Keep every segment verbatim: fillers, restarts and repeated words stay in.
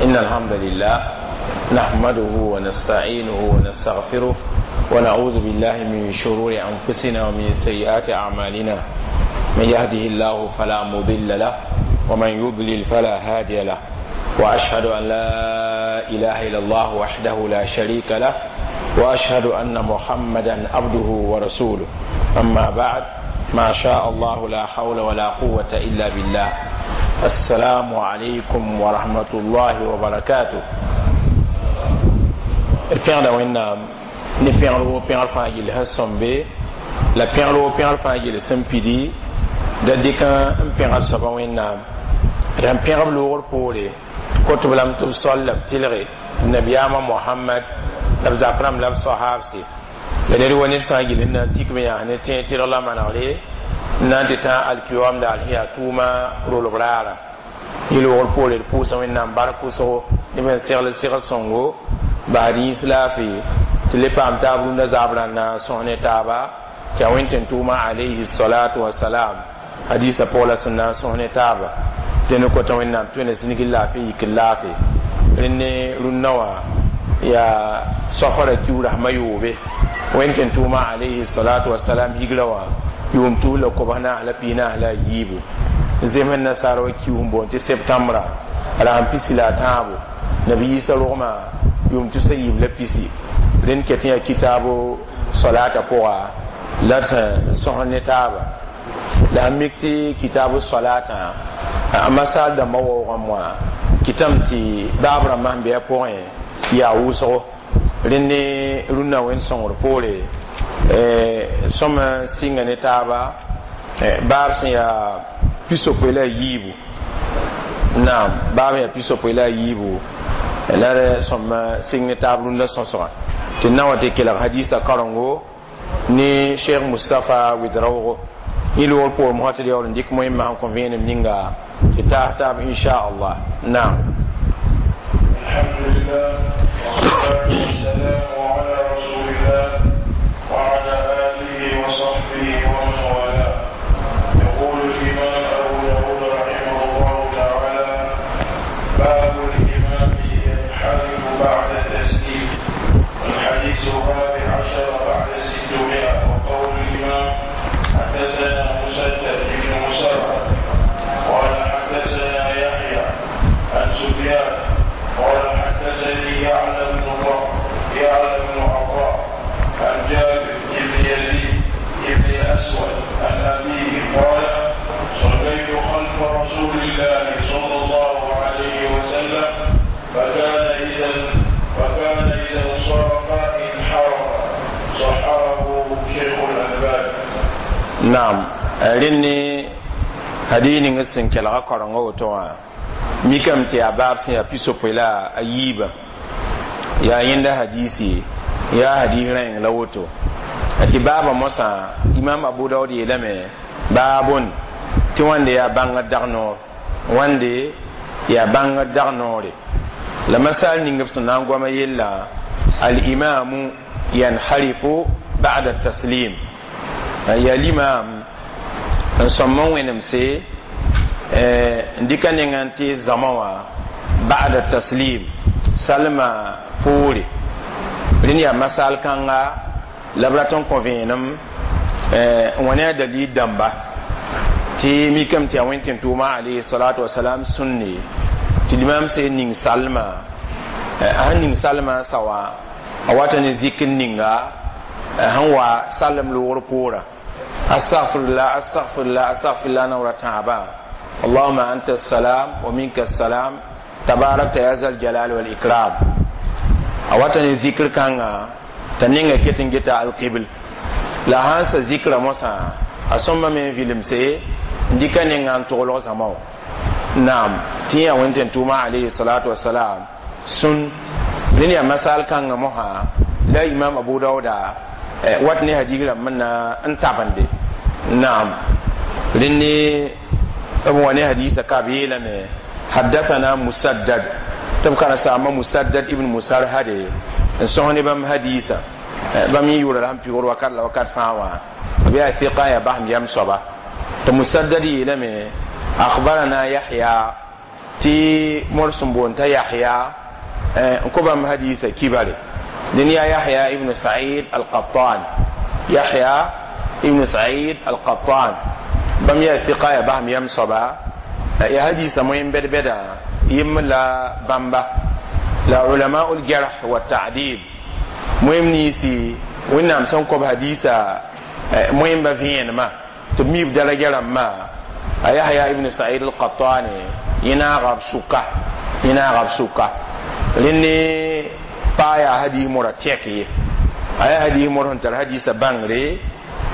إن الحمد لله نحمده ونستعينه ونستغفره ونعوذ بالله من شرور أنفسنا ومن سيئات أعمالنا. من يهده الله فلا مضل له ومن يضلل فلا هادي له، وأشهد أن لا إله إلا الله وحده لا شريك له، وأشهد أن محمدا عبده ورسوله. أما بعد، ما شاء الله لا حول ولا قوة إلا بالله. السلام عليكم ورحمة الله وبركاته. Pẽgda Wẽnnaam ne pẽgr woo, pẽgr fãa gill sẽn sõmbe la pẽgr woo, pẽgr fãa gill sẽn pidi. Da dɩk n pẽgr soaba Wẽnnaam d sẽn pẽgb loogr poore, kot-b lame tɩ b sol la b tɩlge nabiyaamã Mohamad la b zak rãmb la b soahaabse la ned wa ned fãa gill n na n tik b yãas ne tẽeg tɩlg la manegre n na n tɩ tã alkiyoam daar sẽn yaa tʋʋma rolb raara. Yẽ loogr poore, d pʋʋsa Wẽnnaam bark wʋsgo ne b sẽn segl segl sõngo basd yĩns laafɩ tɩ le paam taab rũndã zaab rãnda sõs ne taaba tɩ yaa Wẽn tʋʋma alayhi salatu wasalam hadisa pʋg la sẽn na n sõs ne taaba. Dẽn kota Wẽnnaam tɩ wẽna zĩnigi laafɩ yik laafɩ rẽnd ne rũnnã wã yaa safara kiu rasmã yoobe. Wẽn tʋʋma alayhi salatu wasalam higra wã yʋʋm tus la kobs naas la pis naas la a yiibu, zems nasaara wa kiu n boond tɩ septembra rasem pisi la a tãabo, nabi Yiisa rogmã yʋʋm tusa yiib la pisi. Rẽnd ket yaa kitaabo solata pʋga la d sẽn sõs ne taaba la sẽn mik tɩ kitaab solatã a masal dãmbã waoogame wã kɩtame tɩ baab rãmbã sẽn be a pʋgẽ yaa wʋsgo. Rẽnd ne rũnnã wẽnd sõngr poore sõm sɩnga ne taaba baab sẽn yaa pisopoe la a yiibu. Naam, baab yaa pisopoe la a yiibu la d sõm sɩng ne taab rũndã sõsgã tɩ na wa tɩ kelg hadisa karengo ne Cheikh Mustapha Ouedraogo. Yẽ loogr poor mosã tɩ d yaool n dɩk moẽmã sẽn kõ vẽenem ninga tɩ taas taab inchallah. Naam. الحمد لله والصلاة والسلام على رسول الله وعلى آله وصحبه ومن والاه. يقول الإمام أبو داود رحمه الله تعالى: باب الإمام ينحرف بعد التسليم. الحديث الرابع عشر بعد الستمائة. وقول الإمام: حدثنا مسدد بن مسرهد قال حدثنا يحيى عن سفيان قال حدثني يعلى بن يعلى بن عطاء عن جابر بن يزيد بن أسود عن أبيه قال: صليت خلف رسول الله صلى الله عليه وسلم، فكان إذا فكان إذا انصرف انحرف. صححه شيخ الألباني. Naam, rẽnd ne hadis ning sẽn kelga karenga woto wã mikame tɩ yaa baab sẽn yaa pisopoe la a yiibã yaa yẽnda hadisi yaa hadis rãeng la woto tɩ baabã mosã Imam Abu Daood yeelame baabon tɩ wãnde yaa bãngd dag noor, wãnde yaa bãngd dag noore la masal ning b sẽn na n goama yella alimamu yanharifu ba'da taslim, yaa limam n sõm n wẽnemse n dɩka nengã n tɩ zãma wã ba'da taslim salma poore. Rẽnd yaa masal kãnga la b rat n kõ vẽenem n wa ne a dalil dãmba tɩ mikame tɩ yaa Wẽn tɩ tʋʋma alayhi salatu wasalam sũnne tɩ limam sẽn ning salma, a sẽn ning salma sa wã a wata ne zikr ninga sẽn wa salem loogr poorã: astaghfirullah, astaghfirullah, astaghfirullah, naoora tãabã, allahuma anta salam wa minka salam tabarakta ya zal jalal wal ikram. A wata ne zikr kãnga t'a ninga ket n geta alqibl la sãn sa zikra mosã a sõmba me n vilemse n dɩka nenga n toglg zãma wã. Naam, tɩ yaa Wẽn tɩ tʋʋma alayhi salatu wasalam sũn. Rẽnd yaa masal kãngã mosã la Imam Abu Dauda wat ne hadis rãmb n na n tabende. Naam, rẽnd ne b wa ne hadisa ka b yeelame حدثنا مسدد tɩ b karen-saambã Musaddad ibn Musarhade n sõs ne bãmb hadisa. Bãmb yẽ yʋʋra la sẽn pɩgr wakat la wakat fãa wã b yaa fiqa yaa basem yam soaba tɩ Musaddad yeelame أخبرنا يحيى. Tɩ mor sẽn boond t'a Yahya n kõ bãmb hadiisã kibare. Dẽn yaa Yahya ibn Said al-Qattan. Yahya ibn Said al-Qattan bãmb yaa sɩka, yaa basem yam soaba, yaa hadiisã moyen bɛd-bɛdã yem la bãmba la ulama ul-jarh wa ta'dil moem ninsi Wẽnnaam sẽn kõb hadiisa moẽmba vẽenemã tɩ b mi b daraja rãmbã. A Yahya ibn Said al-Qattani yẽ naaga b sʋka, yẽ naaga b sʋka. Rẽnd paa yaa hadiis mora tɛk ye, a yaa hadiis mor sẽn tar hadiisã bãngre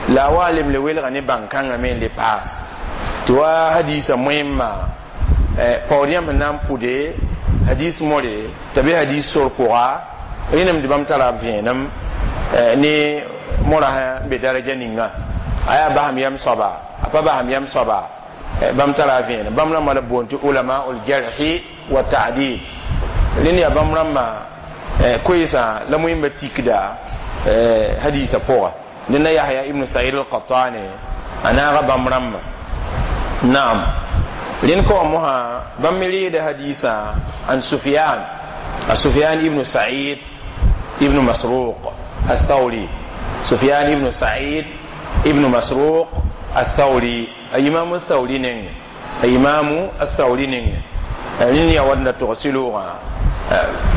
la a wa lemle welga ne bãn-kãngã me n le paas tɩ wa hadiisã moẽmã paood yãmb sẽn na n pʋde hadiis more t'a be hadiis sor pʋga. Rẽnem tɩ bãmb tara b vẽenem ne mora sã be daraja ninga, a yaa basem yam soaba, a pa basem yam soaba, bãmb tara a vẽenem. Bãmb rãmbã la b boond tɩ ulama ul jarhi wa ta'dil. Rẽnd yaa bãmb rãmbã koeesã la moẽmba tikda hadiisã pʋga. Dẽnda Yahya ibn Said al-Qattani a naaga bãmb rãmbã. Naam, rẽnd ka wã mosã bãmb me reeda hadiisã an Sufyan, a Sufyan ibn Said ibn Masruq الثوري. سفيان ibn Said ibn Masruq الثوري, imam الثوري neng, imam الثوري neng. Rẽnd yaa wat n da togs sɩloogã.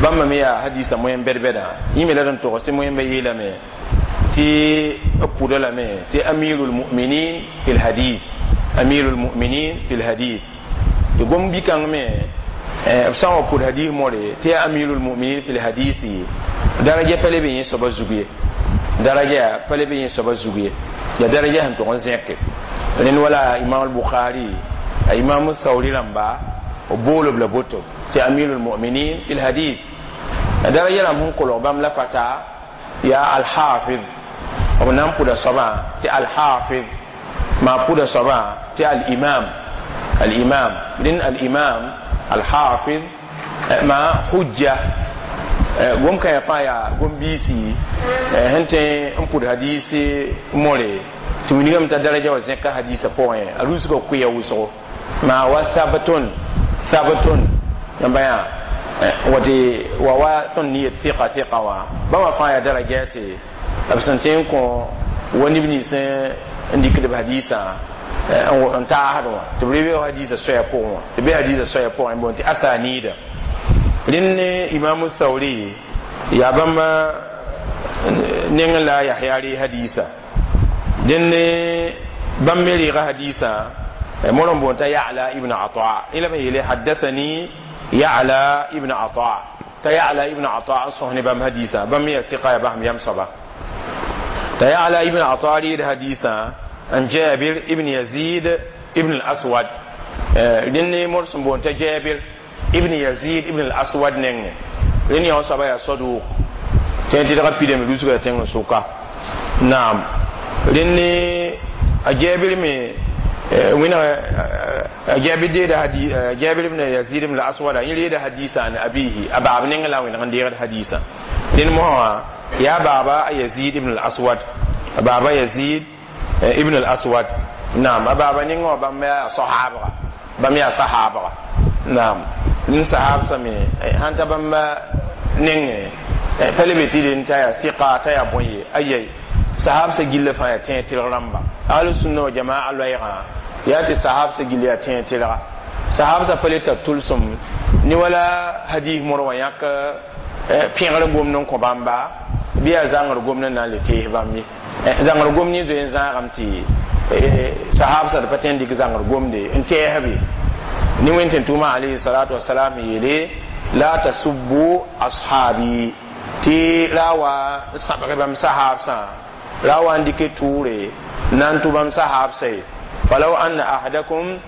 Bãmba me yaa hadiisã moyen bɛd-bɛdã. Yẽ me la d n togs tɩ moẽmba yeelame tɩ b pʋda lame tɩ amirul muminin fi lhadith, amirul muminin fi lhadith, tɩ gom bi-kãng me b sã n wa pʋd hadis more tɩ yaa amirul muminin fi lhadisi, daraja pa le be yẽ soaba zug ye, daraja pa le be yẽ soaba zug ye, ya daraja sẽn tʋg n zẽke. Rẽnd wala imam al-Bukhari, a imam Sauri rãmba b boolob la boto tɩ amirul muminin fi lhadith. Daraja rãmb sẽn kolg bãmb la pata yaa alhafiz, b na n pʋda soabã tɩ alhafiz, maa pʋda soabã tɩ al-imam, al-imam. Rẽnd al-imam, alhafiz, ma hujja gom kãyã fãa yaa gom biisi sẽn tõe n pʋd hadiisi more tɩ wilgame t'a daraja wa zẽka hadiisã pʋgẽ. A rusga kʋɩa wʋsgo maa wa sabtun, sabtun yãmba yã wate wa wa tõnd ne yet sɩka sɩka wã. Bãmba fãa yaa daraja tɩ b sẽn tõe n kõ wa neb nins n dɩkd b hadiisã n taasd wã tɩ b rebe hadiisã soɛa pʋgẽ wã, tɩ be hadiisã soɛa pʋgẽ boond tɩ asanida. Rẽnd imamu Sauri yaa bãmb neng la Yahya ree hadiisa. Dẽnd bãmb me reega hadiisã mor n boond t'a Ya'la ibn Ata. La b yeele haddathani Ya'la ibn Ata, t'a Ya'la ibn Ata n sõs ne bãmb hadiisã. Bãmb me yaa sɩka, yaa basem yam soaba. T'a Ya'la ibn Ata reed hadiisã an Jabir ibn Yazid ibn al-Aswad. Rẽnd mor sẽn boond t'a Jabir ibn Yazid ibn al-Aswad nengẽ. Rẽnd yã wã soaba yaa saduk tẽ tɩdga pidame rusga tẽng sʋka. Naam, rẽnd a Jabir me wẽna a Jabir deeda hadi Jabir ibn Yazid ibn al-Aswad yẽ reeda hadisa an abihi, a baab nengẽ la wẽneg n deegd hadisa. Rẽnd mosã wã yaa baaba a Yazid ibn al-Aswad, a baaba Yazid ibn al-Aswad. Naam, a baaba nengẽ wã bãmb yaa sahaabga, bãmb yaa sahaabga. Naam, nin sahab same sãn ta bãmba nengẽ pa le be tɩ dẽn t'a yaa sɩka t'a yaa bõe ye. Ayai, sahab sa gilla fãa yaa tẽeg tɩlg rãmba. Ahlu sunna wa jamaa loɛɛgã yaa tɩ sahab sa gill yaa tẽeg tɩlga. Sahab sa pa le tar tʋlsem ne wala hadis mor wã yãk pẽgr gomd n kõ bãmba bɩ yaa zãngr gomd n na n le tees bãmb ye. Zãngr gomd yẽ zoe n zãagame tɩ sahab sa d pa tõe n dɩk zãngr gomde n tɛɛsb ye. Ne wẽnd tɩ tʋʋma alayhi salatu wasalam yeele la tasubbu ashabi, tɩ ra wa sãbg bãmb sahabsã, ra wa n dɩke tʋʋre na n tʋ bãmb sahabsã ye. Falaw anna ahadakum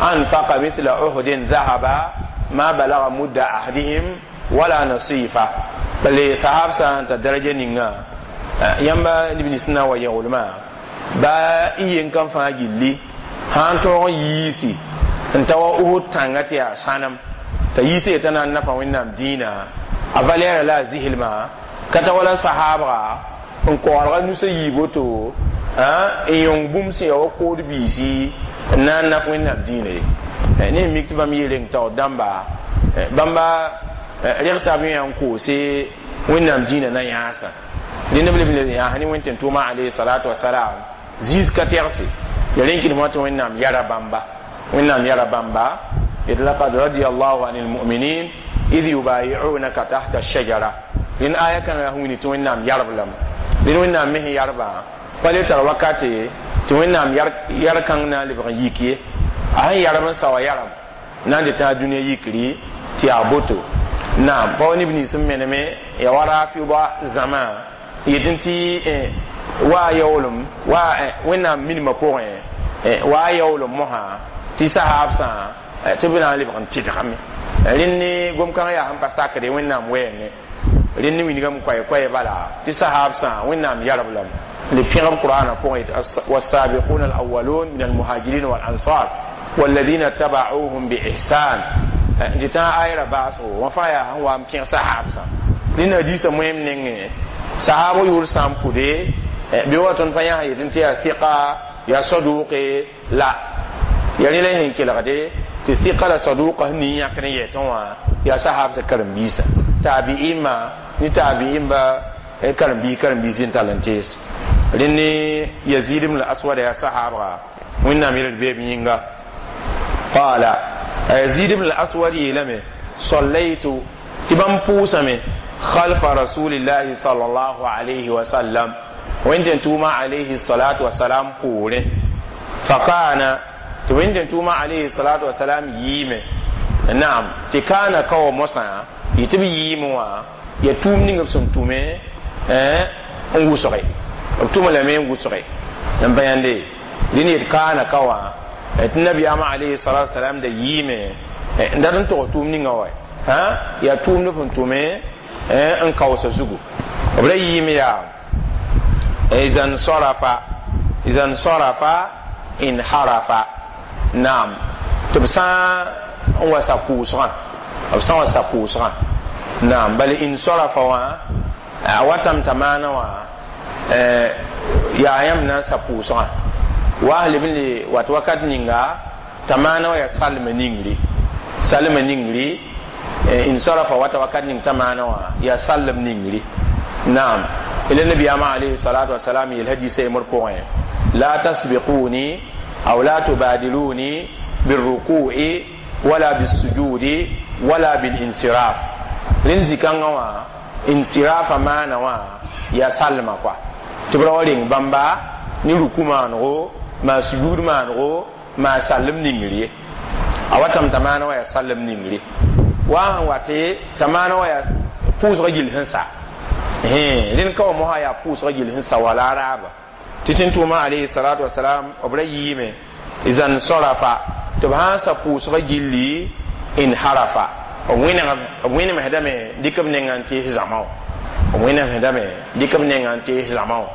anfaqa mithla uhudin dhahaba ma balaga mudda ahadihim wala nasifa. Bale sahabsã n tar daraja ninga yãmba neb nins na n wa yẽglmã ba y yen kam fãa gilli sã n tõog n yiisi n ta wa Uhud tãnga tɩ yaa sãnem t'a yiis yetã na n nafa Wẽnnaam dĩinã, a valɛɛra la a zɩslmã ka ta wala sahaabga n koɔrga nusã yiib woto n yõng bũmb sẽn ya wa kood biisi. n na n nak wẽnnaam dĩinã ye ne mik tɩ bãmb yeele n taoor dãmba bãmba regsa b yã n koose wẽnnaam dĩinã na yãasã rẽnd b leb n yãas ne wẽn tʋʋma alayhi salatu wasalam zĩis ka tɛgse ya rẽn kɩdem wã tɩ wẽnnaam yara bãmba wẽnnaam yara bãmba yet laqad radiyallahu anil mu'minin idh yubayi'unaka tahta ash-shajara rẽnd aya kãngã sẽn wilg tɩ wẽnnaam yarb lame rẽnd wẽnnaam me sẽn yarbã pa le tar wakate tɩ wẽnnaam yar kãng na n lebg n yik ye a sẽn yarb n sa wa yaram na n dɩ tã dũniyã yikri tɩ yaa boto naam pa wa neb nins n meneme ya wa rafida zãma yetɩ tɩ wa a yaoolem wa wẽnnaam minimã pʋgẽ wa a yaoolem mosã tɩ sahaabsã tɩ b na n lebg n tɩdgame rẽnd ne gom-kãngã yaa sẽn pa sakre wẽnnaam wɛɛngẽ rẽnd ne wilgame koɛ-koɛɛ bala tɩ sahaabsã wẽnnaam yarb lame le pẽgb qur'ana pʋgẽ والسابقون الأولون من المهاجرين والأنصار والذين اتبعوهم بإحسان tɩ tã ayra baasgo wã fãa yaa sẽn wa n pẽg sahaabsã rẽnd hadiisã moẽm nengẽ sahaab yʋʋr sã n pʋde bɩ wa tõnd pa yãs yetɩ tɩ yaa sɩka yaa saduqe la ya rẽ la y sẽn kelgde tɩ sɩka la saduqa sẽn ning yãkd n yɛtẽ wã yaa sahaabsã karen-biisã taabi'imã ne taabi'imba karen-biis karen-biis n tall n tees rẽnd ne yazid ibn al-aswad yaa sahaabga wẽnnaam yel d beeb yĩnga qala yazid ibn al-aswad yeelame sallaytu tɩ bãmb pʋʋsame خلف رسول الله صلى الله عليه وسلم وإن توما عليه الصلاة والسلام قوله فكان وإن توما عليه الصلاة والسلام ييمه نعم تكان كو مسا يتبي ييموا يتوم نيغ سن تومه eh n wʋsge b tʋma lame n wʋsge n pa yãnde dẽn yet kaana ka wã tɩ nabiyaamã alayhi salatu wasalam da yɩɩme n dat n tog tʋʋm ninga wa yaa tʋʋmd sẽn tʋme n kaoosa zugu b ra yɩɩme yaa iza nsarafa iza nsarafa inharafa naam tɩ b sã n wa sa pʋʋsgã b sã n wa sa pʋʋsgã naam bala insarafa wã a watame t'a maana wã yaa yãmb na n sa pʋʋsgã wa leb n le wat wakat ninga t'a maana wã yaa salma ningri salma ningri insarafa wata wakat ning t'a maana wã yaa sallem ningri naam ila nabiyaamã alayhi salatu wasalam yel hadisa yembr pʋgẽ la tasbiquni aw la tubadiluni birruku'i wala bisujudi wala bilinsiraf rẽnd zĩ-kãngã wã insirafa maana wã yaa salma kɔa tɩ b ra wa reng bãmba ne ruku maanego maa sujud maanego maa sallem ningr ye a watame t'a maana wã yaa sallem ningre wa sẽn wate t'a maana wã yaa pʋʋsgã gill sẽn sa rẽnd ka wa mosã yaa pʋʋsgã gill sẽn sa wala a raaba tɩ tẽn tʋʋmã alayhi salatu wasalam b ra yɩɩme iza nsarafa tɩ b sã n sa pʋʋsgã gilli inharafa b wẽnemsdame dɩk b nengã n tees zãma wã b wẽnemsdame dɩk b nengã n tees zãma wã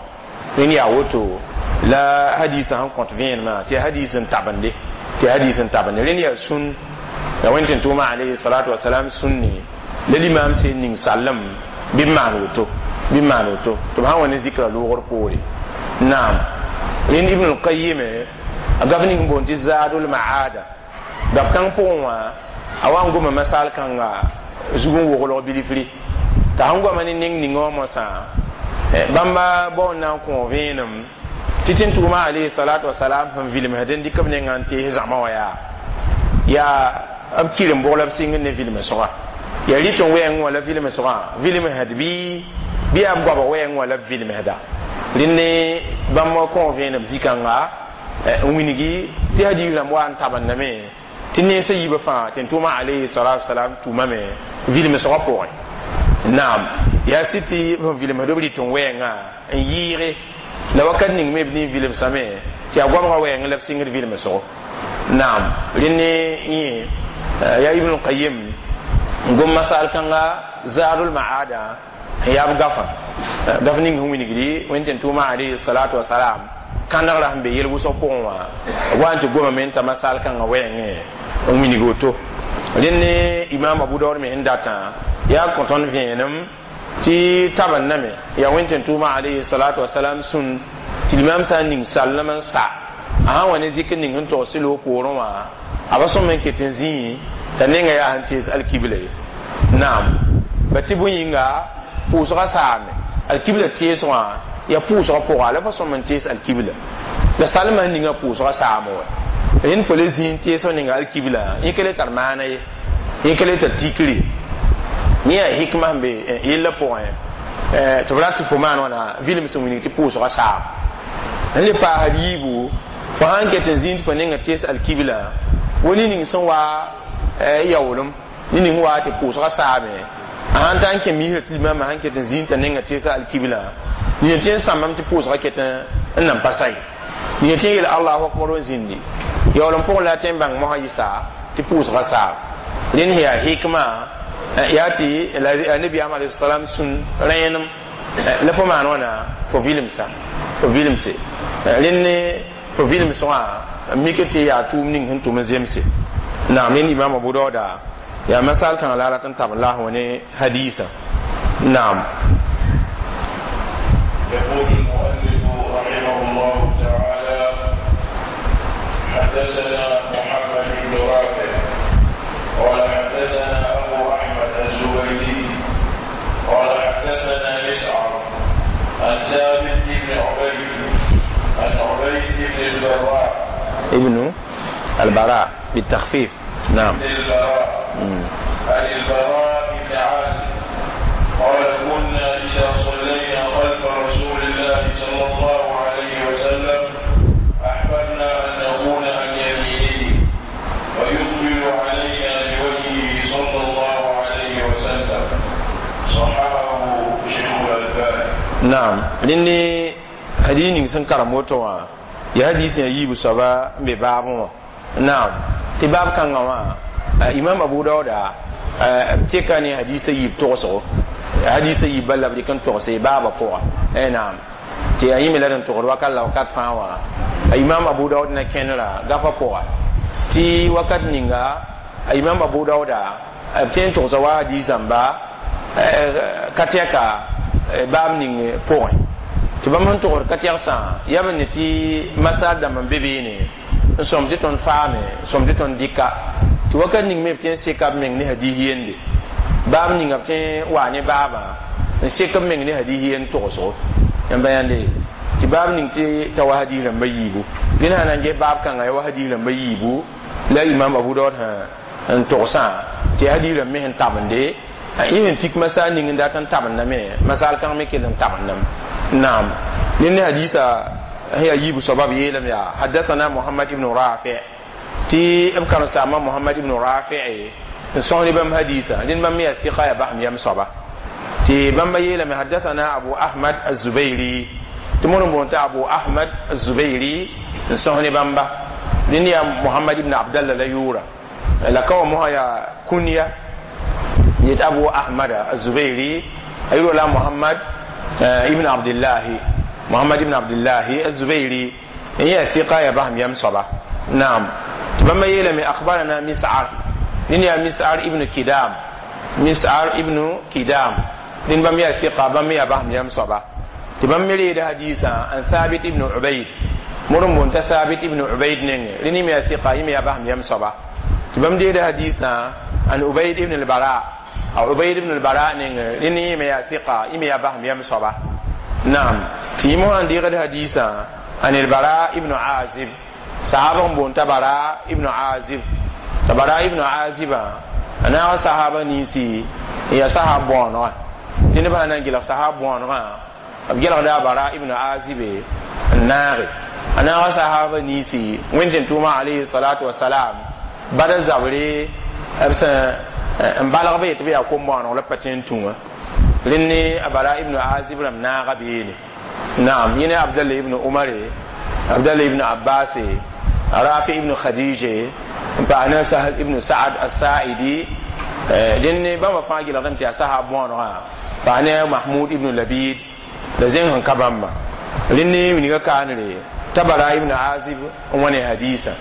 rẽnd yaa woto la hadisã sẽn kõt vẽenemã tɩ hadis n tabende tɩ hadis n tabende rẽnd yaa sũn ya wẽn tɩ tʋʋmã alayhi salatu wasalam sũnni la limaam sẽn ning sallem bɩ b maan woto bɩ b maan woto tɩ b sã n wa ne zikra loogr poore naam rẽnd ibn al-qayyim a gaf ning boond tɩ zadul maada gaf kãng pʋgẽ wã a wa n goma masal kãnga zug n woglg bilifri t'a sẽn goama ne neng ninga wã mosã bãmba bao n na n kõ vẽenem tɩ tẽn tʋʋmã alayhi salatu wasalam sẽn vilmsd n dɩk b nengã n tees zãma wã yaa yaa b kɩrem bʋg la b sɩng ne vilmsgã yaa rɩt n wɛɛngẽ wã la vilmsgã vilmsd bɩ bɩ yaa b goabg wɛɛngẽ wã la b vilmsda rẽnd ne bãmb kõ vẽenem zĩ-kãnga n wilgi tɩ hadiis rãmb wa n tabendame tɩ nensã yiibã fãa tɩ n tʋʋmã alayhi salatu wasalam tʋmame vilmsgã pʋgẽ naam yaa sɩd tɩ sẽn vilmsd b rɩt n wɛɛngã n yɩɩge la wakat ning me b nin vilmsame tɩ yaa goabgã wɛɛngẽ la b sɩngd vilmsgo naam rẽnd ne yẽ yaa ibn qayyim n gom masal kãnga zadul maada n yaa b gafã gaf ning sẽn wilgdi wẽn tɩ n tʋʋmã alayhi salatu wasalam kãnegrã sẽn be yel wʋsg pʋgẽ wã b wa n tɩ gomame n ta masal kãngã wɛɛngẽ n wilg woto rẽnd ne imam abu daud me sẽn datã yaa kõ tõnd vẽenem tɩ tabendame yaa wẽn tɩ n tʋʋmã alayhi salatu wasalam sũn tɩ limam sã n ning sallem n sa a sã n wa ne zikr ning sẽn togs tɩ loog poorẽ wã a ba sõm n ket n zĩi t'a nenga yaa sẽn tees alkibla ye naam ba tɩ bõe yĩnga pʋʋsgã saame alkibla tees wã yaa pʋʋsgã pʋga la fa sõm n tees alkibla la salmã sẽn ninga pʋʋsgã saame wa rẽnd fo le zĩig tees f ninga alkibla yẽ ka le tar maana ye yẽ ka le tar tikre yẽ yaa hikma sẽn be yellã pʋgẽ tɩ b rat tɩ fo maan wãna vilem sẽn wilg tɩ pʋʋsgã saam n le paasd yiibu fo sãn ket n zĩig tɩ fo ninga tees alkibla wa ne ning sẽn wa yaoolem ne ning wa tɩ pʋʋsgã saame a sãn ta n kẽ misrã tɩ limamã sãn ket n zĩig t'a ninga teesa alkibla nina tɩ n sãmbame tɩ pʋʋsgã ket n nan pa sa ye nina tɩ n yeel allahu akbar n zĩndi yaoolem pʋgẽ la tɩ n bãng mosã yɩsa tɩ pʋʋsgã saam rẽnd sẽn yaa hikma yaa tɩ nabiyaam alayhi salam sũn rẽenem la fo maan wãna fo vilemsa fo vilemse rẽnd fo vilems wã n mik tɩ yaa tʋʋm ning sẽn tʋm n zemse naam rẽnd imam abu dauda yaa masal kãngã la a rat n tab n laas wã ne hadiisã naam يقول المؤلف رحمه الله تعالى حدثنا محمد بن رافع قال حدثنا أبو أحمد الزبيدي قال حدثنا مسعر عن ثابت بن عبيد عن عبيد بن البراء ابن البراء بالتخفيف نعم بن البراء عن البراء بن عازب قال كنا إذا صلينا خلف رسول الله صلى الله عليه وسلم أحببنا أن نكون عن يمينه ويقبل علينا بوجهه صلى الله عليه وسلم صححه شيخ الألباني naam rẽnd hadis ning sẽn karem woto wã yaa hadis sẽn yaa yiibu soaba n be baabẽ wã naam tɩ baab kãngã wã imam abu dauda b teka ne hadisa yiib togsgo hadisa yiib bala la b dɩk n togse baabã pʋga naam tɩ yaa yẽ me la d n togd wakat la wakat fãa wã imam abu daud na kẽnera gafã pʋga tɩ wakat ninga a imam abu dauda b tõe n togsa wa hadisãmba ka tɛka baab ning pʋgẽ tɩ bãmb sẽn togd ka tɛgsã yaa b ne tɩ masal dãmb n be beene n sõm tɩ tõnd faame n sõm tɩ tõnd dɩka tɩ wakat ning me b tõe n seka b meng ne hadis yende baab ninga b tõe n waa ne baabã n sek b meng ne hadis yend togsgo yãmba yãnde tɩ baab ning tɩ ta wa hadis rãmba yiibu rẽnd sã na n ges baab kãngã ya wa hadis rãmba yiibu la imam abu daud n togsã tɩ hadis rãmb me sẽn tabende yẽ sẽn tik masal ning n dat n tabendame masal kãng me kell n tabendame naam ned ne hadisa sẽn yaa yiibu soaba b yeelame yaa hadathana muhammad ibn rafi tɩ b karen-saamba muhammad ibn rafi n sõs ne bãmb hadisa rẽnd bãmb me yaa sɩka yaa basem yam soaba tɩ bãmba yeelame hadathana abu ahmad azubairi tɩ mod n boond tɩ abu ahmad azubairi n sõs ne bãmba rẽnd yaa muhammad ibn abdallah la yʋʋra la ka wa mosã yaa kunya yet abu ahmad azubairi a yʋʋra la muhammad ibn abdillahi muhammad ibn abdillahi azubairi n yaa sɩka yaa basem yam soaba naam tɩ bãmba yeelame akhbarana mis'ar rẽnd yaa mis'ar ibn kidam mis'ar ibn kidam rẽnd bãmb yaa sɩka bãmb me yaa basem yam soaba tɩ bãmb me reeda hadiisã an thabit ibn ubayd mod n boond t'a thabit ibn ubayd nengẽ rẽnd yẽ me yaa sɩka yẽ me yaa basem yam soaba tɩ bãmb deeda hadiisã an ubayd ibn al-bara a ubayd ibn al-bara nengẽ rẽnd yẽ me yaa sɩka yẽ me yaa basem yam soaba naam tɩ yẽ mosã n deegd hadiisã an al-bara ibn azib sahaba n boond t'a bara ibn azib t'a bara ibn azibã a naag sahaba ninsi n yaa sahab bõonegã tɩ nebã sã na n gɩlg sahab bõonegã b gelgda a bara ibn azibe n naage a naag sahaba ninsi wẽnd tɩ tʋʋma alayhi salatu wasalam bada zabre b sẽn n balg be tɩ b yaa kom-bõoneg la pa tõe n tũ wã rẽnd ne a bara ibn azib rãmb naaga beene naam yẽ ne abdallah ibn umare abdallah ibn abbas rafi ibn khadije n paas ne sahal ibn saad as-sa'idi dẽnd ne bãmba fãa gɩlgdame tɩ yaa sahab bõonegã paas ne mahmud ibn labid la zẽng sẽn ka bãmba rẽnd ne wilga kaanre t'a bara ibn azib n wa ne hadiisã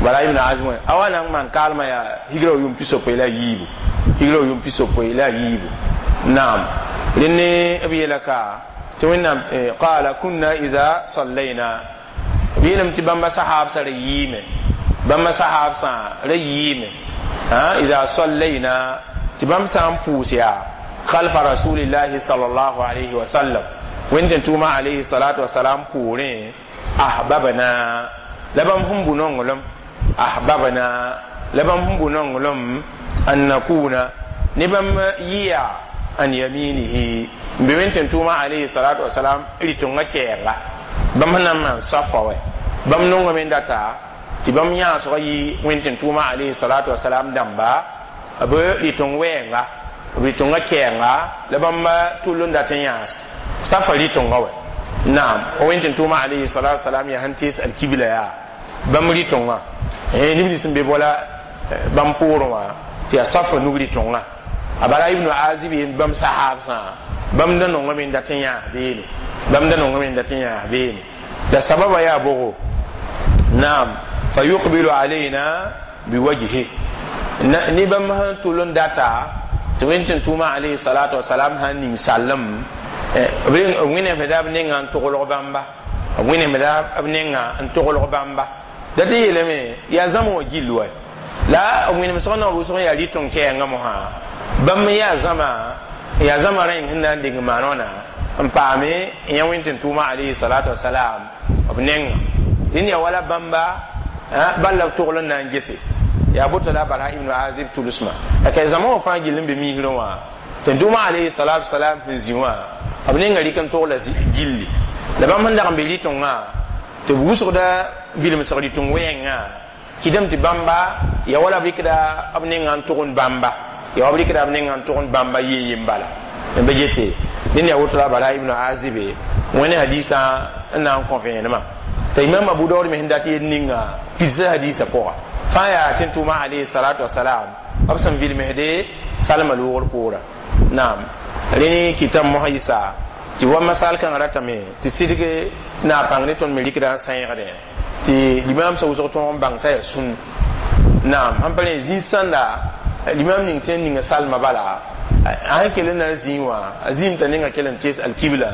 bara ibn azib a wa na n maan kaalmã yaa higra yʋʋm pisopoe la a yiibu higra yʋʋm pisopoe la a yiibu naam rẽnd ne b yeela ka tɩ wẽnnaam qala kunna ida sallayna B yeelame tɩ bãmba sahaabsã ra yiime, bãmba sahaabsã ra yiime إذا صلينا tɩ bãmb sã n pʋʋs yaa خلف رسول الله صلى الله عليه وسلم wẽnd tʋʋma عليه الصلاة والسلام poorẽ أحببنا la bãmb sẽn bʋ nonglem أحببنا la bãmb sẽn bʋ nonglem أن نكون ne bãmb yɩa عن يمينه n be wẽnd tʋʋma عليه الصلاة والسلام rɩtõngã kɛɛnga bãmb sẽn na n maan safa wɛ bãmb nongame n data tɩ bãmb yãasgã yɩ wẽnd tʋʋma عليه الصلاة والسلام dãmba b rɩtõng wɛɛnga b rɩtõngã kɛɛnga la bãmb tʋll n dat n yãas safa rɩtõngã wɛ naam wẽnd tʋʋma عليه الصلاة والسلام yaa sẽn tees alkibla yaa bãmb rɩtõngã neb nins sẽn be bola bãmb poorẽ wã tɩ yaa safa nug rɩtõngã a bara ibnu azib bãmb sahaabsã bãmb da nongame n dat n yãas beene bãmb da nongame n dat n yãas beene la sababa yaa bogo naam فيقبل علينا بوجهه ne bãmb sẽn tʋl n data tɩ wẽnd tɩ tʋʋma عليه الصلاة والسلام sãn ning sallem b wẽnnaam da b nenga n toglg bãmba b wẽnnaam da b nenga n toglg bãmba da tɩ yeelame yaa zãma wã gill wa la b wẽnem sg na rʋʋsg yaa rɩtõng kɛɛngã mosã bãmb yaa zãma yaa zãma rẽng sẽn na n deng maanona n paame n yã wẽnd tɩ tʋʋma عليه الصلاة والسلام b nenga dẽnd yaa wala bãmba bal la b togl n na n gese yaa boto la bara ibnu azib tʋlsmã la zãma wã fãa gill n be misrẽ wã tɩ tʋʋma عليه الصلاة والسلام sẽn zĩ wã b nenga rɩk n togla gilli la bãmb sẽn dag n be rɩtõngã tɩ b wʋsgda vilmsg rɩtõng wɛɛngã kɩdame tɩ bãmba ya wala b rɩkda b nenga n tʋgend bãmba ya wa b rɩkda b nenga n tʋgend bãmba yee yen bala n be gete dẽnd yaa woto la bara ibnu azibe wẽne hadisã n na n kõ vẽenemã t'a imam abu daud me sẽn dat yel ninga pidsa hadisã pʋga fãa yaa tɩ tʋʋma عليه الصلاة والسلام b sẽn vilmsde salma loogr poora naam rẽ kɩtame mosã yɩsa tɩ wa masal kãngã ratame tɩ sɩdg na pãng ne tõnd me rɩkda n sãeegdẽ tɩ limam sa wʋsg tõog n bãng t'a yaa sũn naam sãn pa rẽ zĩig sãnda limam ning tɩ n ninga salma bala a sẽn kell n na n zĩig wã a zĩim t'a nenga kell n tees alkibla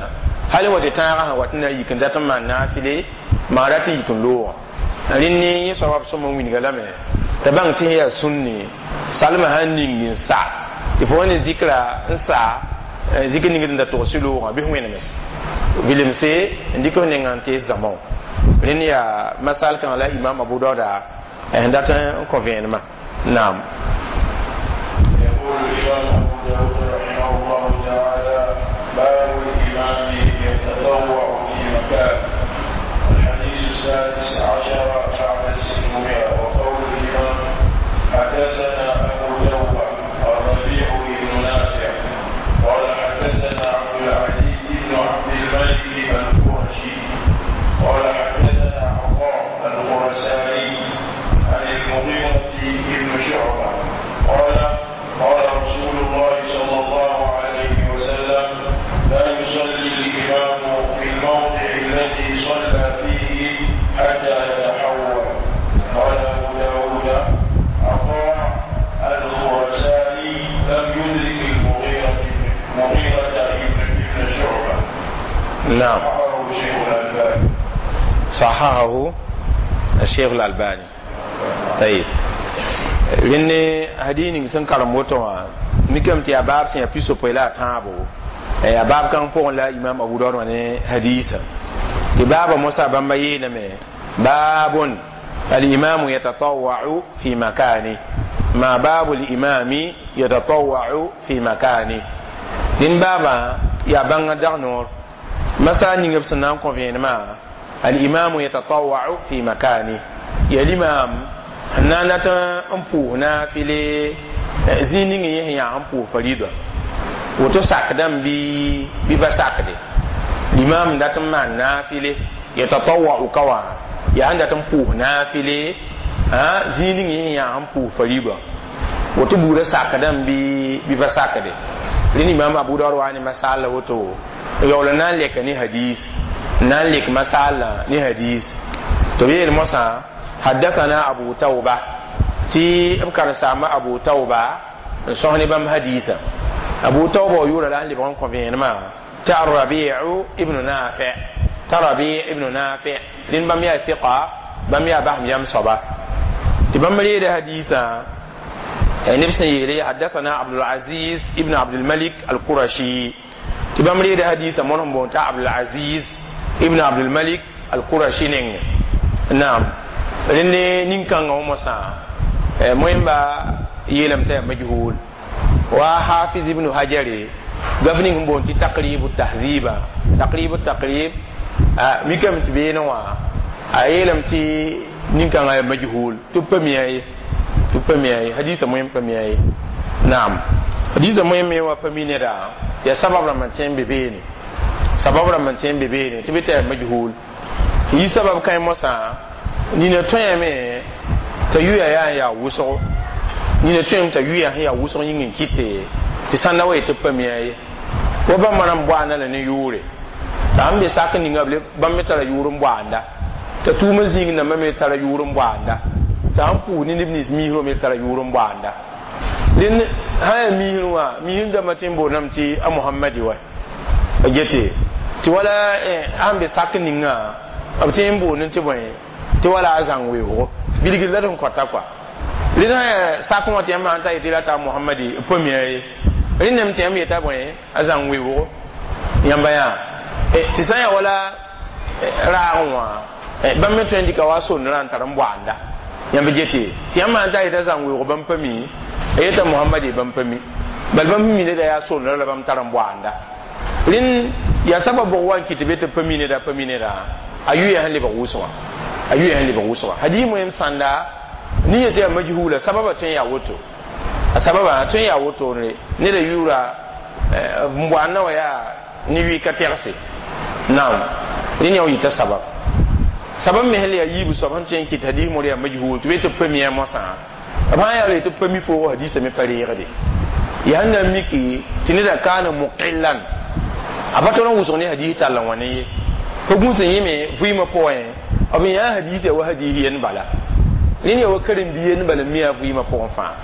hal wa tɩ tãagã sã wat n na n yik n dat n maan naafɩle maa rat n yik n loogã rẽnd ne yẽ soaba b sõm n wilga lame t'a bãng tɩ sẽn yaa sũnne salma sãn ning n sa tɩ fo wa ne zikra n sa zikr ning d da togs loogã bɩ wẽnems vilemse n dɩk f nenga n tees zãma wã rẽnd yaa masal kãngã la imam abu dauda sẽn dat n kõ vẽenemã naam. يقول الإمام أبو داود رحمه الله تعالى: باب الإمام يتطوع في مكان. الحديث السادس عشر بعد الستمائة. وقول الإمام: حدثنا أبو توبة الربيع بن نافع قال حدثنا عبد العزيز بن عبد الملك القرشي قال حدثنا عطاء الخرساني عن المغيرة بن شعبة قال: قال رسول الله صلى الله عليه وسلم: لا يصلي الإمام في الموضع الذي صلى فيه حتى يتحول. قال أبو داود: عطاء الخرساني لم يدرك المغيرة مغيرة ابن شعبة. نعم. صححه الشيخ الألباني. صححه الشيخ الألباني. طيب rẽnne hadis ning sẽn karem woto wã mikame tɩ yaa baab sẽn yaa pisopoe la a tãabo yaa baab kãng pʋgẽ la imam abu daud wã ne hadisa tɩ baaba mosã bãmba yeelame باب الإمام يتطوع في مكانه ما باب الإمام يتطوع في مكانه dĩn baabã yaa bãngã dag noor masa ning b sẽn na n kõ vẽenemã الإمام يتطوع في مكانه yaa limam sẽn na n dat n pʋʋs naafɩle zĩig ning yẽ sẽn yaa n pʋʋs farida woto sakdame bɩ bɩ ba sakde limam n dat n maan naafɩle يتطوع ka wã yaa sẽn dat n pʋʋs naafɩle zĩig ning yẽ sẽn yaa n pʋʋs farida woto buudã sakdame bɩ bɩ ba sakde rẽnd imam abu daud wa ne masal la woto yaool n na n lɛka ne hadis n na n lek masaalã ne hadis tɩ b yeel mosã حدثنا أبو توبة tɩ b karen-saamba abu tauba n sõs ne bãmb hadisa abu tauba wa yʋʋra la n lebg n kõ vẽenemã tɩ arrabiu ibnu nafi. t'a Rabi ibn Nafi rẽnd bãmb yaa fiqa bãmb yaa basem yam soaba tɩ bãmb reeda hadiisã neb sẽn yeele حدثنا عبد العزيز ابن عبد الملك القرشي tɩ bãmb reeda hadiisã mõr sẽn boond t'a Abdulaziz ibn Abdulmalik al-Qurashi nengẽ naam rẽnd nin-kãngã wã mosã moẽmba yeelame t'a yaa majhul wa Hafiz ibn Hajare gaf ning sẽn boond tɩ Taqribu Tahziba Taqribu Taqrib mikame tɩ beene wã a yeelame tɩ nin-kãngã yaa majhul tɩ b pa mia ye tɩ b pa mia ye hadiisã moẽm pa mia ye naam hadiisã moẽm me wã pa mi neda yaa sabab rãmb n tõe n be beene sabab rãmb n tõe n be beene tɩ bɩ t'a yaa majhul yi sabab kãe mosã nina tõeme t'a yuya yaa n yaa wʋsgo nina tõem t'a yuya sẽn yaa wʋsg yĩng n kɩte tɩ sãnda wa yetɩ b pa mia ye wa bãmba rãmb boaanda la ne yʋʋre t'a sẽn be sak ninga b bãmb me tara yʋʋr n boaanda t'a tʋʋmã zĩig nambã me tara yʋʋr n boaanda t'a sẽn pʋʋs ne neb nins miisrã me tara yʋʋr n boaanda rẽnd sã yaa miisr wã miisr dãmbã tɩ n boondame tɩ a Mohamadi wa a gete tɩ wala sãn be sak ninga b tɩ n boond tɩ bõe tɩ wala a zãng weoogo bilgr la d sẽn kõta kɔa rẽnd sã yaa sak wã tɩ yãmb sãn ta yetɩ la t'a Mohamadi b pa mia ye rẽnd tɩ yãmb yeta bõe a zãng weoogo yãmba yaa tɩ sã n yaa wala raagẽ wã bãmb me tõe n dɩka wa sondrã n tar n boaanda yãmb gete tɩ yãmb sãn ta yeta zãng weoog bãmb pa mi a yeta Mohamadi bãmb pa mi bal bãmb mi neda yaa sondrã la bãmb tar n boaanda rẽnd yaa sabab bʋg wa n kɩt tɩ be tɩ pa mi neda pa mi neda a yuya sẽn lebg wʋsgã a yuya sẽn lebg wʋsgã hadiis moẽm sãnda nin yetɩ yaa majhula sababa tõe n yaa woto a sababa tõe n yaa wotone neda yʋʋra n boaanda wã yaa ne yʋɩ ka tɛgse naam rẽnd yaa yita sabab sabab me sẽn le yaa yiib soab sẽn tõe n kɩt hadiis mor yaa majhul tɩ be tɩ b pa mia mosã b sã n yaa tɩ b pa mi foogo hadiisã me pa reegde yaa sẽn na n miki tɩ neda kaana muqillan a pa tol n wʋsg ne hadiis tall n wã ne ye pa gũus n yẽme vɩɩmã pʋgẽ b yã hadiis yaa wa hadiis yen bala rẽnd yaa wa karen-bi yen bala n mi a vɩɩmã pʋgẽ fãa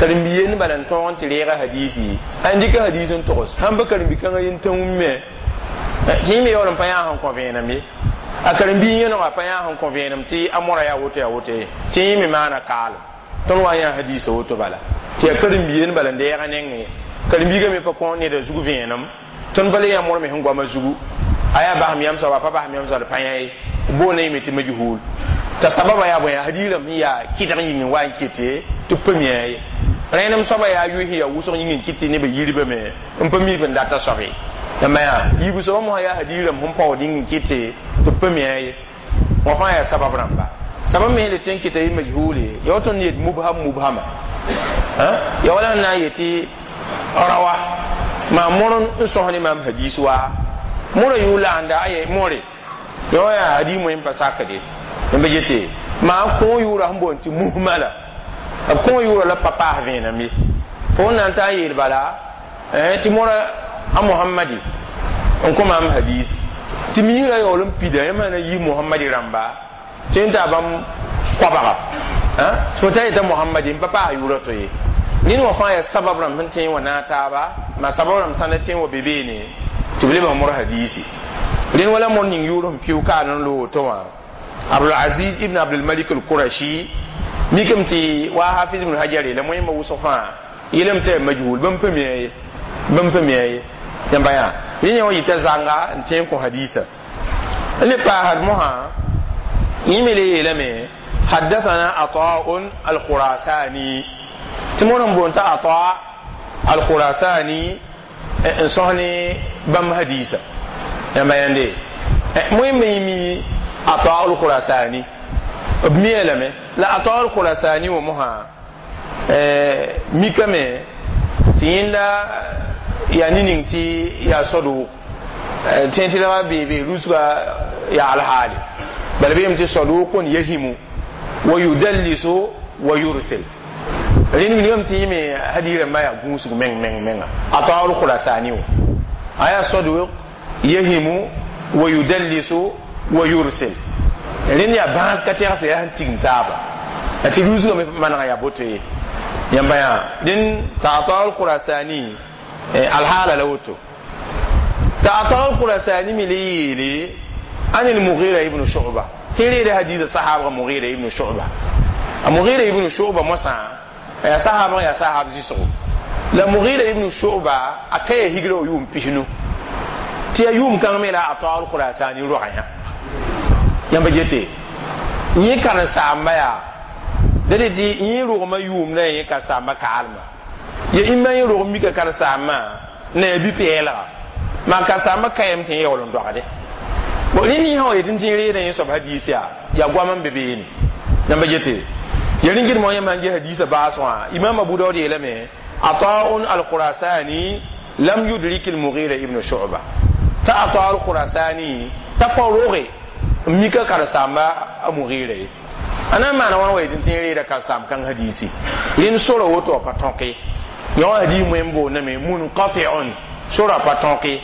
karen-bi yen bala n tõog n tɩ reega hadiisi a n dɩka hadiis n togs sãn pa karen-bi-kãngã yen tã wũmme tɩ yẽ me yaool n pa yã sẽn kõ vẽenem ye a karen-bi yẽnega pa yã sẽn kõ vẽenem tɩ a mora yaa woto yaa woto ye tɩ yẽ me maana kaalem tõnd wa n yã hadiisã woto bala tɩ yaa karen-bi yen bala n deega nengẽ karen-biigã me pa kõ neda zug vẽenem tõnd pa le yã mor me sẽn goamã zugu a yaa basem yam soaba pa basem yam soaba pa yã ye boona yẽme tɩ majhul t'a sababa yaa bõe hadiis rãmb sẽn yaa kɩdg yĩng n wa n kete tɩ b pa mia ye rẽnem soaba yaa yʋɩ sẽn yaa wʋsg yĩng n kɩt tɩ nebã yirbame n pa mi b n data soabe yãmba yaa yiib soaba mosã yaa hadiis rãmb sẽn paood yĩng n kɩte tɩ b pa mia ye wã fãa yaa sabab rãmba sabab me sẽn le tɩ n kɩta yɩ majhule ya woto n yet mubham mubhama ya wala n na n yetɩ rawa maa mor n sõs ne maam hadiis wa mora yʋʋ laanda aye more ya wa yaa hadiis moẽ n pa sakde yãmba gete maa kõo yʋʋra sẽn boond tɩ muhmala b kõo yʋʋra la pa paas vẽenem ye fo n na n taa n yeel bala tɩ mora a Mohamadi n kõ maam hadiis tɩ miigrã yaool n pida yãmb na yi Mohamadi rãmba tɩ n taa bãmb koabga fo t'a yeta Mohamadi n pa paas yʋʋra to ye ned wã fãa yaa sabab rãmb sẽn tõe n wa naag taaba maa sabab rãmb sãn da tõe n wa be beene tɩ b lebg mor hadiisi rẽnd wala mor ning yʋʋr sẽn pɩʋ kaan n loog to wã Abdulaziz ibn Abdulmalik al-Qurashi mikame tɩ wa Hafiz ibn Hajar la moẽmba wʋsg fãa yeelame tɩ yaa majhul bãmb pa mia ye bãmb pa mia ye yãmba yaa rẽ yã wã yita zãnga n tõe n kõ hadiisa n le paasd mosã yẽ me le yeelame حدثنا عطاء الخراساني tɩ mor n boond t'a Ata al-Khurasani n sõs ne bãmb hadiisa yãmba yãnde moẽmba yẽ mi Ata al-Khurasani b mia lame la Ata al-Khurasani wã mosã mikame tɩ yẽnda yaa ne ning tɩ yaa sadʋʋg tẽ tɩ la beebe rusga yaa alhaali bala beem tɩ saduqun yahimu wa yudallisu wa yursil rẽnd wilgame tɩ yẽme hadiis rãmbã yaa gũusg meng meng menga Ata al-Khurasani wã a yaa saduq yahimu wa yudallisu wa yursil rẽnd yaa bãas ka tɛgse yaa sẽn tigim taaba tɩ rusgame manega yaa boto ye yãmba yaa rẽnd t'a Ata al-Khurasani alhaala la woto t'a Ata al-Khurasani me le yeele عن المغيرة ابن شعبة تريد حديث الصحابة مغيرة ابن شعبة المغيرة ابن شعبة مسا يا صحابة يا صحاب زيسو لا مغيرة ابن شعبة أكيه هجرو يوم بيشنو تي يوم كان ملا أطال خراساني روحيا yamba jete yẽ karen-saamba yaa da de tɩ yẽ rogmã yʋʋm la yẽ karen-saambã kaalmã ya ĩmba yẽ rog mika karen-saambã na ya bi-pɛɛlga maa karen-saambã kayame tɩ yẽ yaool n dogde bon rẽnd yẽ sã wa yetɩ tɩ reedã yẽ soab hadiis yaa yaa goam n be beene yãmba jete ya rĩngdmã yãmb sãn ges hadiisã baas wã imam abu daud yeelame ataun alkhurasani lam yudrik almughira ibn shu'ba t'a ata alkhurasani t'a pa roge mika karen-saamba a mughira ye a na n maana wãn wa yetɩ tɩ reeda karen-saamb kãng hadiisi rẽnd sora woto a pa tõke yã wã hadiis moẽm boondame munqati'un sora pa tõke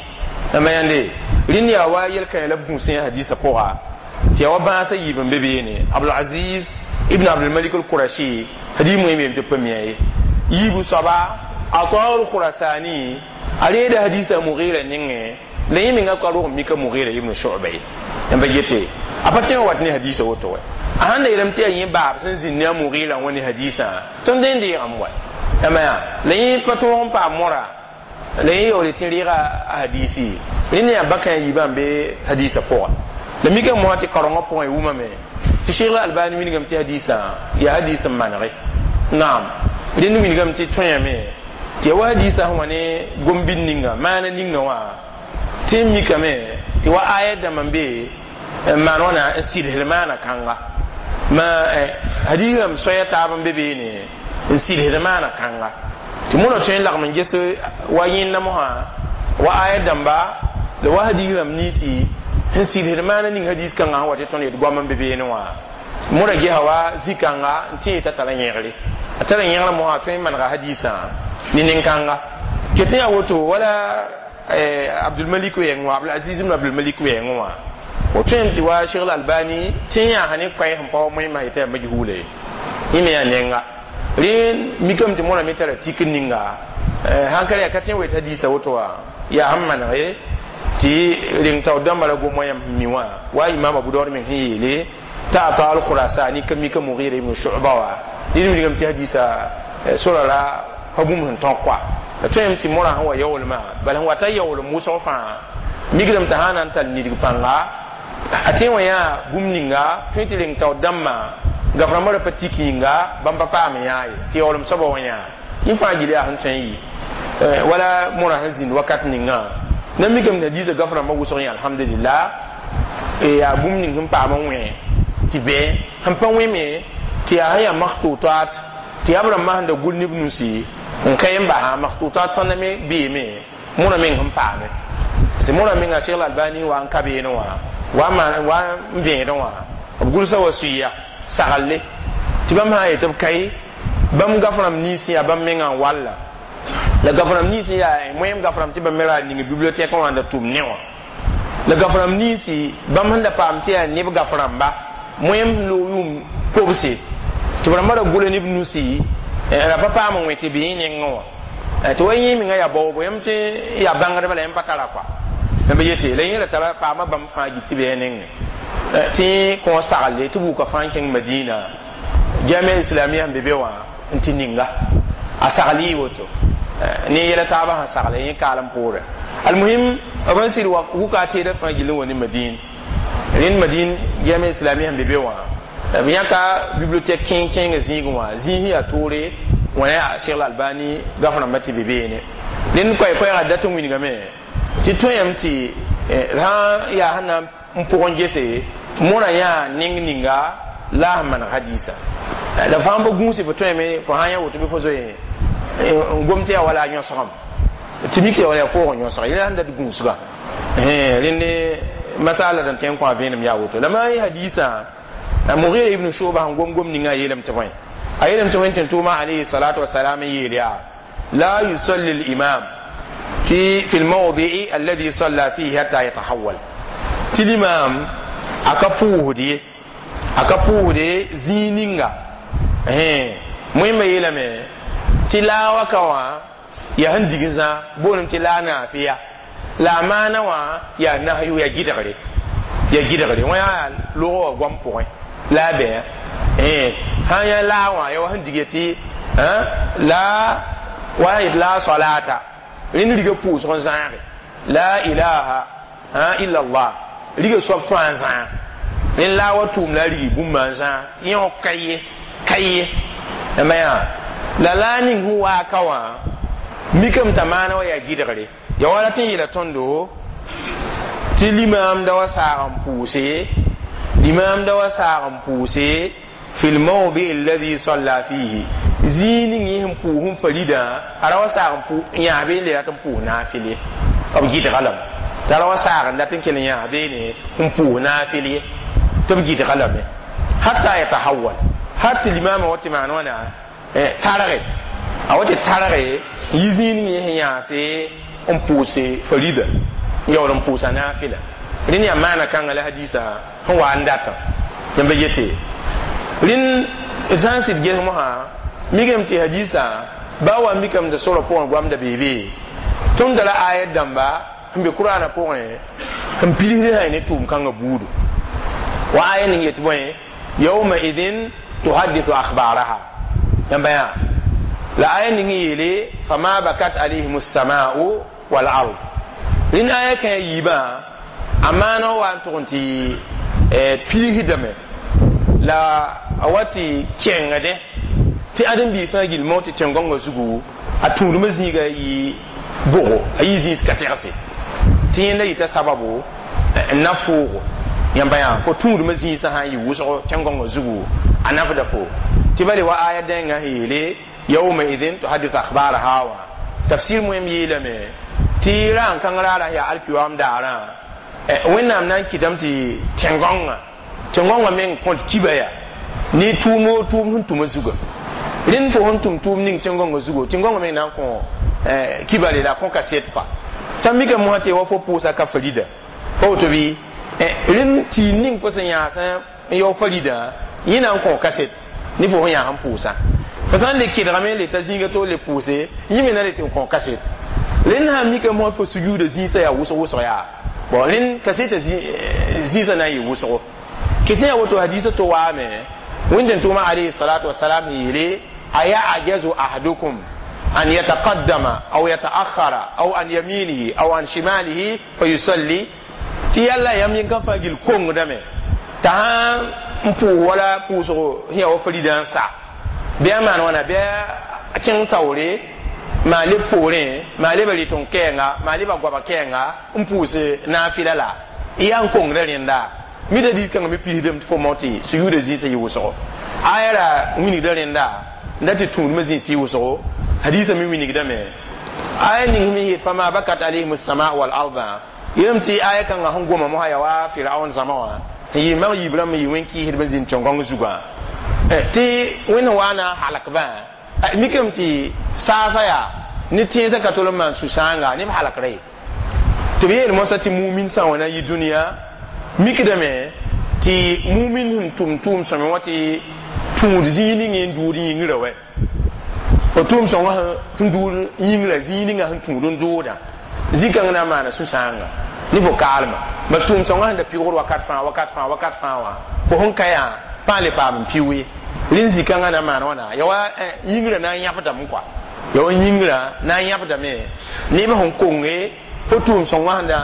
yãmba yãnde rẽnd yaa wa yel-kãe la b gũsẽ hadiisã pʋga tɩ yaa wa bãasã yiib n be beene abdulaziz ibn abdulmalik alqurashi hadiis moẽm yem tɩ pa mia ye yiibu soaba ata alkhurasani a reeda hadiisã mughira nengẽ la yẽ menga ka rog mika mughira ibn shu'ba ye yãmba yete a pa tõe n wat ne hadiisã woto wɛ a sãn da yeelame tɩ yaa yẽ baab sẽn zĩnd ne a mughira wã ne hadiisã tõnd dẽn deegame wa yãmba yaa la yẽ pa tõog n paam mora la yẽ yaoole tɩ reega a hadiisi rẽnd yaa bakã yiibã n be hadiisã pʋga la mikame mosã tɩ karengã pʋgẽ wumame tɩ sheikh albani wilgame tɩ hadiisã yaa hadiis n manege naam rẽnd wilgame tɩ tõeyame tɩ ya wa hadiisã sẽn wa ne gom-bid ninga maana ninga wã tɩ n mikame tɩ wa ayat dãmb n be n maan wãna n sɩdsd maana kãnga ma hadiis rãmb soaya taab n be beene n sɩdsd maana kãnga tɩ mõna tõe n lagm n ges wa yẽnda mosã wa ayat dãmba la wa hadiis rãmb ninsi n sɩdsd maana ning hadiis kãngã sẽn wa tɩ tõnd yet goam n be beene wã mõra gesa wa zĩ-kãnga n tẽ t'a tara yẽgre a tara yẽgrã mosã tõe n manega hadiisã ne nin-kãnga ket n yaa woto wala abdulmalik wɛɛngẽ wã abdulaziz ibn abdulmalik wɛɛngẽ wã o tõem tɩ wa sheikh albani tẽ yãasa ne koɛɛ sẽn pa wa moẽmã yetɩ yaa majhula ye yẽ me yaa nenga rẽ mikame tɩ mõra me tara tik ninga sãn ka yaa ka tẽ n wet hadiisã woto wã yaa sẽn maneg ye tɩ reng taoor dãmbã ra gom wã yãmb sẽn mi wã wa imam abu daud meng sẽn yeele t'a ata al-khurasani ka mika mughira ibn shu'ba wa ned wilgame tɩ hadiisã sora ra pa bũmb sẽn tõk koa la tõem tɩ mõrã sẽn wa yaoolmã bala sẽn wata yaoolem wʋsg fãa mikdame t'a sã na n tall nidg pãnga a tẽ wã yaa bũmb ninga tõe tɩ reng taoor dãmbã gaf-rãmbã ra pa tik yĩnga bãmb pa paam yãa ye tɩ yaoolem soaba wã yãa yẽ fãa gil yaa sẽn tõe n yɩ wala mõrã sẽn zĩnd wakat ninga na mikame tɩ hadiisã gaf-rãmbã wʋsg yẽ alhamdulillah yaa bũmb ning sẽn paam n wẽ tɩ bɩ sẽn pa wẽ me tɩ yaa sẽn yaa maktutat tɩ yaa b rãmbã sẽn da gʋl ne b nusi n ka n basa maktutat sõnda me beeme mõrã meng sẽn paame parce que mõrã menga Cheikh Albani wa n ka beene wã wa wa n vẽedẽ wã b gʋlsa wa suiya sagalle tɩ bãmb sã n yetɩ b kae bãmb gaf-rãmb ninsẽ yaa bãmb mengã n walla la gaf-rãmb ninsẽ yaa moẽm gaf-rãmb tɩ bãmb me ra ning bibliothèque wã n da tʋm ne wã la gaf-rãmb ninsi bãmb sẽn da paam tɩ yaa neb gaf-rãmba moẽm loog yʋʋm kobse tɩ b rãmbã ra gʋla ne b nusi ra pa paam n wẽ tɩ bɩ yẽ nengẽ wã tɩ wa yẽ menga yaa baoobo yãmb tɩ yaa bãngdba la yãmb pa tara koa yãmb yete la yẽ ra tara paama bãmb fãa git tɩ bɩ ya nengẽ tɩ kõ saglle tɩ buka fãa n kẽng madina jamia islamia sẽn be be wã n tɩ ninga a sagl yɩ woto ne yɛla taabã sẽn sagle yẽ kaalem poorẽ almuhim b sẽn sɩd wuka a teedã fãa gill n wa ne madin rẽnd madin jamia islamia sẽn be be wã b yãka bibliothèque kẽeng kẽengã zĩigẽ wã zĩis yaa toore wã yaa Cheikh Albani gaf-rãmbã tɩ be beene rẽnd koɛɛ-koɛɛgã dat n wilgame tɩ tõeyame tɩ rã yaa sẽn na n pʋgẽ gese mõrã yaa neng ninga la sẽn maneg hadiisã la fãa pa gũuse fo tõeme fo sã n yã woto bɩ fo zoe n gom tɩ yaa wala a yõsgame tɩ mik yaa wala yaa koog n yõsga yẽla sẽn dat gũusga rẽnd masala dãn tõe n kõ a vẽenem yaa woto la maa hadiisã Mughira ibn Shu'ba sẽn gom gom ninga a yeelame tɩ bõe a yeelame tɩ wẽn tʋʋma alayhi salatu wasalam n yeel yaa la yusalli al-imam في في الموضع الذي صلى فيه حتى يتحول tɩ l'imam a ka pʋʋsd ye a ka pʋʋsde zĩig ninga moẽmbã yeelame tɩ laa waka wã yaa sẽn dig zã boolem tɩ laa naafɩya la a maana wã yaa nahyu yaa gɩdgre Ya gɩdgre wã yaa log wã goam pʋgẽ la a bɩ sã n yã laa wã ya wa sẽn dig tɩ la wa yet la salata rẽnd riga pʋʋsg n zãage la ilaha illa allah riga soab fãa n zãag rẽnd la wa tʋʋm la a rigi bũmba n zãag tɩ yẽ wã ka ye ka ye yãmba yaa la la ning sẽn waa ka wã mikame t'a maana wa yaa gɩdgre ya wa rat n yeela tõndo tɩ limaamda wa saag n pʋʋse limaamda wa saag n pʋʋse fi lmawdi alladhi salla fihi zĩig ning yẽ sẽn pʋʋs n faridã a ra wa saag n pʋ yãas bee le rat n pʋʋs naafɩl ye b gɩdga lame t'a ra wa saag n dat n kell yãas beene n pʋʋs naafɩl ye tɩ b gɩdga lame hatta yatahawal har tɩ limaamã wa tɩ maan wãna targe a wa tɩ targe yi zĩig ning yẽ sẽn yãase n pʋʋse farida n yaool n pʋʋsa naafɩla rẽnd yaa maana kãnga la hadisa sẽn wa n datã yãmba yete rẽnd d sã n sɩd ges mosã mikame tɩ hadisa ba wa mikame tɩ sorã pʋgẽ goamda beebe tõnd da la ayat dãmba sẽn be kuraanã pʋgẽ n pidsd sã ne tʋʋm kãngã buudu wa aya ning yetɩ bõe yawma idin tuhaddithu akhbaraha yãmba yaa la aya ning yeele fama bakat alayhim الsamau wal ard rẽnd aya kã yiibã a maana wa n tʋg n tɩ piisdame la a wa tɩ kẽngdẽ tɩ ãdem-biig fãa gill mao tɩ tẽn-gãongã zugu a tũudmã zĩiga yɩ bʋgo a yɩ zĩis ka tɛgse tɩ yẽnda yɩta sababu n na foogo yãmba yaa fo tũudmã zĩisã sã n yɩ wʋsgo tẽn-gãongã zugu a nafda fo tɩ bale wa aya dẽngã sẽn yeele yawma idin tuhadithu akhbaraha wã tafsir moem yeelame tɩ ra n kãng raarã yaa alkiyoam daarã wẽnnaam na n kɩtame tɩ tẽn-gãongã tẽn-gãongã meng kõt kiba yaa ne tʋʋm o tʋʋm sẽn tʋma zuga rẽnd fo sẽn tʋm tʋʋm ning tẽn-gãongã zugo tẽn-gãongã meng na n kõ kibare la kõ kaset pa sã n mikame mosã tɩ wa fo pʋʋsa ka farida pa woto bɩ rẽnd tɩ ning fo sẽn yãasã n yao farida yẽ na n kõ kaset ne fo sẽn yãas n pʋʋsa fo sã n le kɩdgame le ta zĩiga to le pʋʋse yẽ me na le tɩ n kõ kaset rẽnd sã n mikame mosã fo sujuuda zĩisã yaa wʋsg wʋsg yaa bon rẽnd kaseta zĩisã na n yɩ wʋsgo kɩtẽ yaa woto hadisa to waame wẽnd tʋʋma alayhi salatu wasalam yeele ayajazu ahadukum an yataqaddama aw yataakhara aw an yaminihi aw an shimalihi fayusalli tɩ yalla yam yẽn ka fãa gill kongdame t'a sã n pʋʋs wala pʋʋsgo sẽn yaa wa farida n sa bɩ a maan wãna bɩ a kẽng taoore maa leb poorẽ maa leba rɩt n kɛɛnga maa leba goaba kɛɛnga n pʋʋs naafɩla la y yaa n kongda rẽnda mida diis kãngã me pisdame tɩ fo mao tɩ sujuuda zĩisã yɩ wʋsgo aya ra wilgda rẽnda n dat tɩ tũudmã zĩis yɩ wʋsgo hadisa me wilgdame aya ning me yet fama bakat alayhim sama wal arda yeelame tɩ aya kãngã sẽn goma mosã yaa wa firaun zãma wã n yɩ mag yiib rãmb yɩ wẽn-kɩɩsdb n zĩnd tẽn-gãong zugã tɩ wẽnd wa na halakbã mikame tɩ saasã yaa ne tẽesã ka tol n maan sũ-sãanga ne b halakra ye tɩ b yeel mosã tɩ mumin sã wã na yɩ dũniyã mikdame tɩ mumin sẽn tʋm tʋʋm sõme wã tɩ tũud zĩig ning n duud yĩngrã wɛ fo tʋʋm sõngã sẽn duud yĩngrã zĩig ninga sẽn tũud n dooda zĩ-kãng na n maana sũ-sãanga ne fo kaalma ba tʋʋm sõngã sẽn da pɩgd wakat fãa wakat fãa wakat fãa wã fo sẽn ka yaa pãa le paam n piʋ ye rẽnd zĩ-kãngã na n maan wãna ya wa yĩngrã na n yãbdame kɔa ya wa yĩngrã na n yãbdame neb sẽn konge fo tʋʋm sõngã sẽn da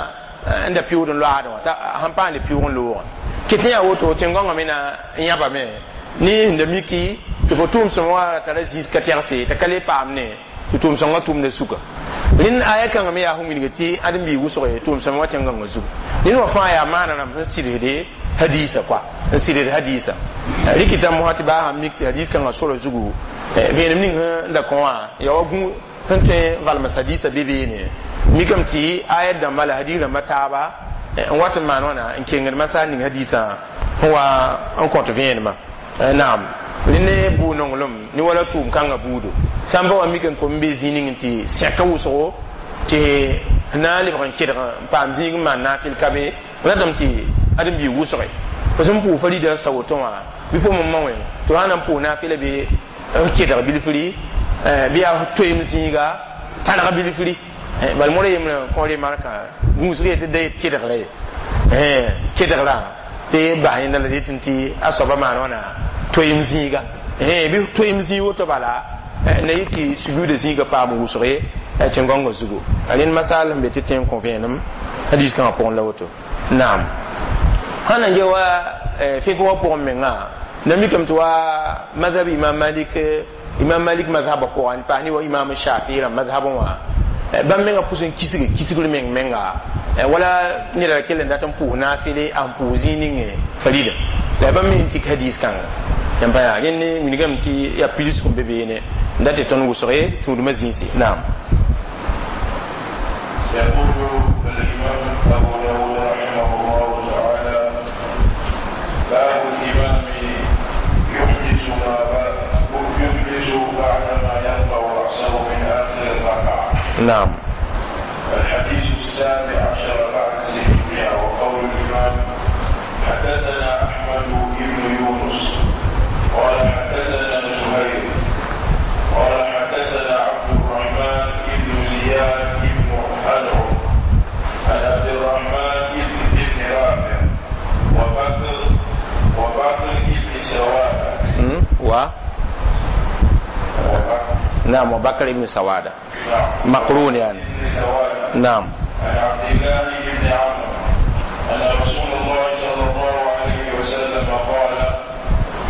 n da pɩʋʋd n loaadẽ wã t'a sẽn paam le pɩʋʋg n loogã kɩt yaa woto tẽn-gãongã me na n yãbame ne sẽn da miki tɩ fo tʋʋm sõma wa tara zĩis ka tɛgse t'a ka le paam ne tɩ tʋʋm sõngã tʋmda suka rẽnd aya kãngã me yaa sẽn wilg tɩ ãdem-biig wʋsg tʋʋm sõma wa tẽn-gãongã zugu ned wã fãa yaa maana rãmb sẽn sɩdsde hadisa kɔa n sɩdsd hadisa rɩkɩta mosã tɩ baa sãn mik tɩ hadis kãngã sora zugu vẽenem ning sẽn da kõ wã yaa wa gũ sẽn tõe n valms hadisa be beene mikame tɩ ayat dãmba la hadis rãmba taaba n wat n maan wãna n kengd masar ning hadisã sẽn wa n kõt vẽenemã naam rẽ ne bʋ-nonglem ne wala tʋʋm kãngã buudo sã n ba wa mikame fo n be zĩig ning tɩ sẽka wʋsgo tɩ na n lebg n kɩdg n paam zĩig n maan naafɩl ka be ratame tɩ ãdem-biig wʋsge fo sẽn pʋʋs farida n sa woto wã bɩ fo me ma wẽ tɩ sã na n pʋʋs naafɩla bɩ n kɩdg bilfri bɩ yaa toeem zĩiga targ bilfri bal modã yembrã kõ remarka gũusg yetɩ da yet kɩdgra ye kedgra tɩ bas yẽnda la dɩt tɩ a soaba maan wãna toeem zĩiga bɩ toeem zĩig woto bala na yɩ tɩ sujuuda zĩiga paam wʋsg ye tẽn-gãongã zugu rẽnd masal sẽn be tɩ tẽ n kõ vẽenem hadis kãngã pʋgẽ la woto naam sãn na n ge wa fɩk wã pʋgẽ mengã na mikame tɩ wa mazhab imam malik imam malik mazhabã pʋgã n paas ne wa imam shafi rãmb mazhabã wã bãmb mengã pʋs n kisge kisgr meng menga wala neda ra kell n dat n pʋʋs naafɩle a n pʋʋs zĩig ning farida la bãmb me n tik hadis kãnga yãmb pa yaa rẽnd wilgame tɩ yaa pidsg n be beene n dat tɩ tõnd wʋsge tũudmã zĩisi naam يقول الإمام أبو داود رحمه الله تعالى باب الإمام يحدث ما يحدث بعدما يرفع رأسه من آخر الركعة. نعم. الحديث السابع عشر بعد ستمائة وقول الإمام حدثنا أحمد بن يونس قال حدثنا زهير قال حدثنا عبد الرحمن بن زياد بن أنعم عن عبد الرحمن بن رافع وبكر وبكر بن سوادة و نعم وبكر بن سوادة نعم مقرون يعني بن سوادة نعم عن عبد الله بن عمرو أن رسول الله صلى الله عليه وسلم قال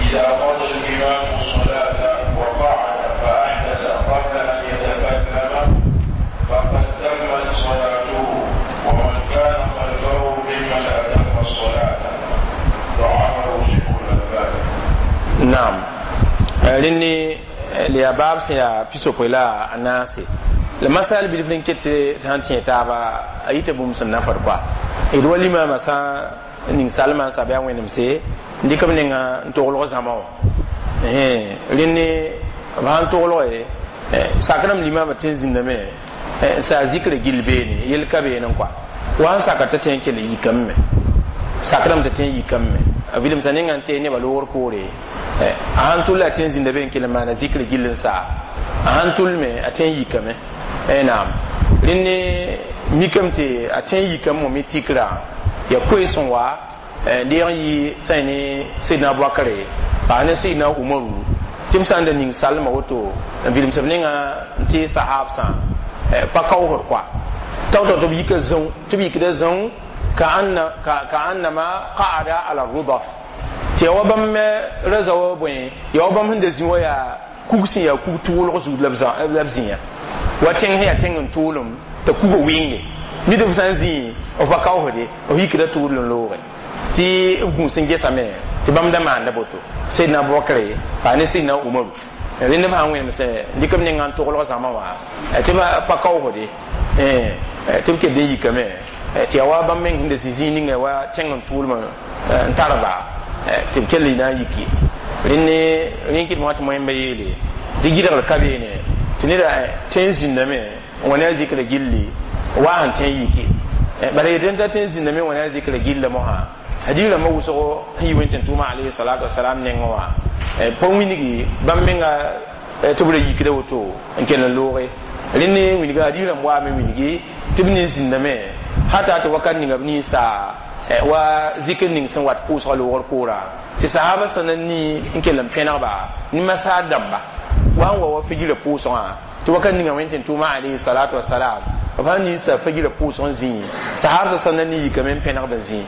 إذا قضى الإمام الصلاة وقعد فأحدث قبل أن يتكلم فقد تمت صلاته ومن كان خلفه ممن أتم الصلاة ضعفه شيخ الألباني. naam rẽnd la yaa baab sẽn yaa pisopoe la a naase la masal bilf n ket sãn tẽ taaba a yita bũmb sẽn na fad koa d wa limama sã n ning salmã n sab yaa wẽnemse n dɩk b nenga n toglg zãma wã rẽnd b sãn toglge sakrãmb limama tɩ n zĩndame n saa zikra gill beene yel ka beene n koa wa sẽn saka t'a tẽ n kell n yikame me sakrãmb t'a tẽ n yikame me a vilemsa ninga n tee nebã loogr poore a sãn tʋl a tẽ n zĩnda be n kell n maana zikr gill n saa a sãn tʋl me a tẽ n yikame naam rẽnd mikame tɩ a tẽ n yikame wã me tikra ya koees n wa deeg n yɩ sã ne sidna abubakare paa ne sidna umaru tɩ b sã n da ning salmã woto n vilemsb ninga n tɩ sahabsã pa kaoosd koa tao-tao tɩ b yika zãu tɩ b yikda zãu كأنما قعد على الرضف tɩ ya wa bãmb me ra wa bõe ya wa bãmb sẽn da zĩ wa yaa kug sẽn yaa kug tʋʋlg zug la b zĩya wa tẽng sẽn yaa tẽng n tʋʋlem t'a kuga wɩnge nid b sã n zĩ b pa kaoosde b yikda tʋʋl n looge tɩ b gũus n gesame tɩ bãmb da maanda boto sidna abubakr paa ne sidna umaru rẽnd b sã n wẽnemsẽ dɩk b ninga n toglg zãma wã tɩ pa kaoosde tɩ b kell n yikame tɩ ya wa bãmb meng sẽn da zĩ zĩig ninga wa tẽng n tʋʋlmã n tarba tɩ b kell na n yiki rẽnd rẽn kɩt mosã tɩ moẽmba yeele tɩ gɩdgr ka beene tɩ neda tẽ n zĩndame n wa ne a zikra gilli wa sẽn tẽ n yiki bala yetɩ t'a tẽ n zĩndame n wa ne a zikra gilla mosã hadis rãmbã wʋsgo sẽn yi wẽn-tẽn-tʋʋmã alayhi salatu wasalam nengẽ wã pa wilgi bãmb menga tɩ b ra yikda woto n kell n looge rẽnd wilga hadis rãmb waame wilgi tɩ b nin zĩndame hata tɩ wakat ninga b ninsa wa zikr ning sẽn wat pʋʋsga loogr koora tɩ sahaba sẽn na ni n kell n pẽnegba ne masaar dãmba wa n wa wa fajirã pʋʋsgã tɩ wakat ninga wẽn-tẽn-tʋʋmã alayhi salatu wasalam b sãn ninsa fajirã pʋʋsg n zĩ sahab sẽn na ni yikame n pẽnegb n zĩ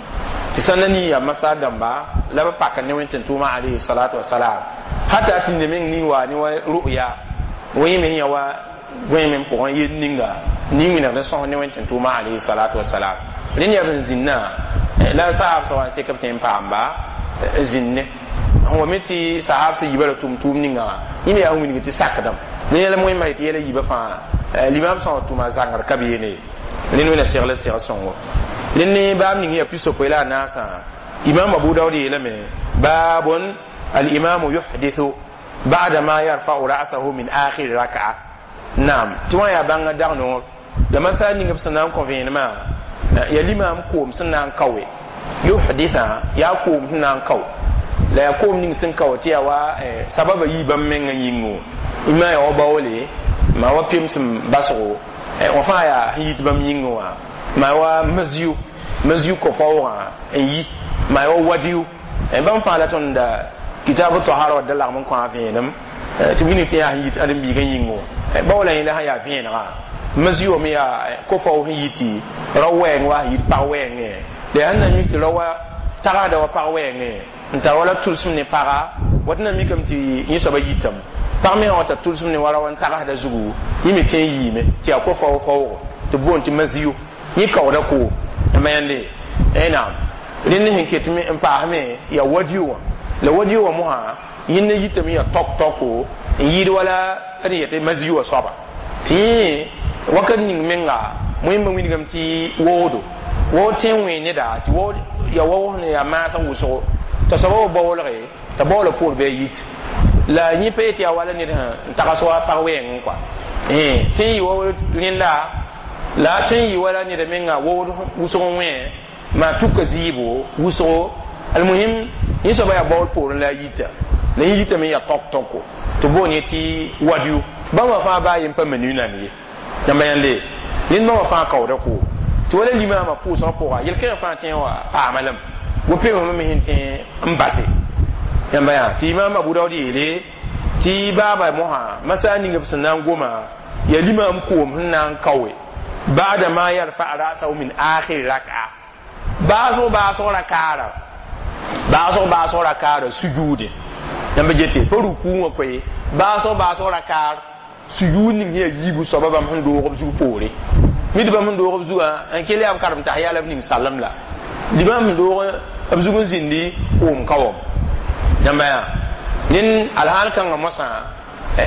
tɩ sẽn na ni yaa masaar dãmba la b pak ne wẽn-tẽn-tʋʋmã alayhi salatu wasalam hata tɩ ned meng ning wa ne wa ru'ya wẽ me yã wa goẽ me pʋgẽ yel ninga ning wĩnegd n sõs ne wẽn-tẽn-tʋʋmã alayhi salatu wasalam rẽnd yaa b zĩnnã la sahab sã wa n sek b tẽ n paamba zĩnne sẽn wa me tɩ sahab sã yiba ra tʋm-tʋʋm ninga wã yẽ me yaa n wilg tɩ sakdame ne yɛla wẽnnaam yetɩ yɛla yiibã fãa limam sã wa tʋma zãngr ka beene rẽnd wẽna segl segl sõngo rẽnd ne baab ning yaa pisopoe la a naasã imam abu daud yeelame baabun alimamu yuhdithu ba'da ma yarfa'u ra'sahu min akhir raka'a naam tɩ wã yaa bãnga dag noor la masal ning b sẽn na n kõ vẽenemã ya limam koom sẽn na n kaoe yuhditha yaa koom sẽn na n kao la yaa koom ning sẽn kao tɩ yaa wa sababa yii bãmb mengã yĩngo ima yaa wa baoole ma wa pemsem basgo wã fãa yaa sẽn yit bãmb yĩngẽ wã ma wa masio maziyu ko-faoogã n yi maa wa wadiyu bãmb fãa la tõnd kitabu tahara wa da lagm n kõ a vẽenem tɩ wilg tɩ yaa sẽn yit ãdem-biigã yĩngẽ wã ba wala yẽla sẽn yaa vẽenegã maziyu me yaa ko-faoog sẽn yi tɩ rao wɛɛng wa sẽn yit pag wɛɛngẽ la yaa sẽn na mik tɩ rao wa tagsda wa pag wɛɛngẽ n tar wala tʋlsem ne paga wat na mikame tɩ yẽ soaba yitame pag me sã wa tar tʋlsem ne wa rao n tagsda zugu yẽ me tõe n yiime tɩ yaa ko-faoog faoogo tɩ b boond tɩ maziyu yẽ kaooda koom n mayande naam rẽnd sẽn ket n paasme yaa wadiyo wã la wadiyo wã mosã yẽnda yitame yaa tok toko n yɩɩd wala d yetɩ maziyu wã soaba tɩ yẽ wakat ning menga wẽmba wilgame tɩ woodo waood tõe n wẽ neda tɩ waood ya waoog sẽn yaa maasg wʋsgo t'a soaba wa baoolge t'a baoola poor bɩ a yit la yẽ pa yet yaa wala ned sẽn tags wa pag wɛɛngẽ kɔa tõe n yɩ wa rẽnda la tõe n yɩ wala neda menga waood wʋsg n wẽ maa tuka zɩɩbo wʋsgo almuhim yẽ soaba yaa baool poorẽ la a yita la yẽ yitame yaa tok toko tɩ boon yẽ tɩ wadiyu bãmba fãa baa yen pa manu nan ye yãmba yãnde rẽnd bãmba fãa kaooda koom tɩ wala limaamã pʋʋsgã pʋga yel-kẽngã fãa tẽ wa paama lame wo-pemsmã me sẽn tẽ n base yãmba yaa tɩ imaam abu daood yeele tɩ baaba mosã masã ning b sẽn na n goma yaa limaam koom sẽn na n kaoe ba'da ma yarfa ra'sahu min akhir rak'a baasg baasg rakaara baasg baasg rakaara sujuude yãmba gete pa ruku wã koe baasg baasg rakaar sujuud ning sẽn yaa yiibu soaba bãmb sẽn doog b zug poore mid bãmb sẽn doog b zugã n kell yaa b karem tahiya la b ning salem la limaam sẽn doog b zug n zĩndi koom ka wam yãmba yaa ned alhaal kãngã mosã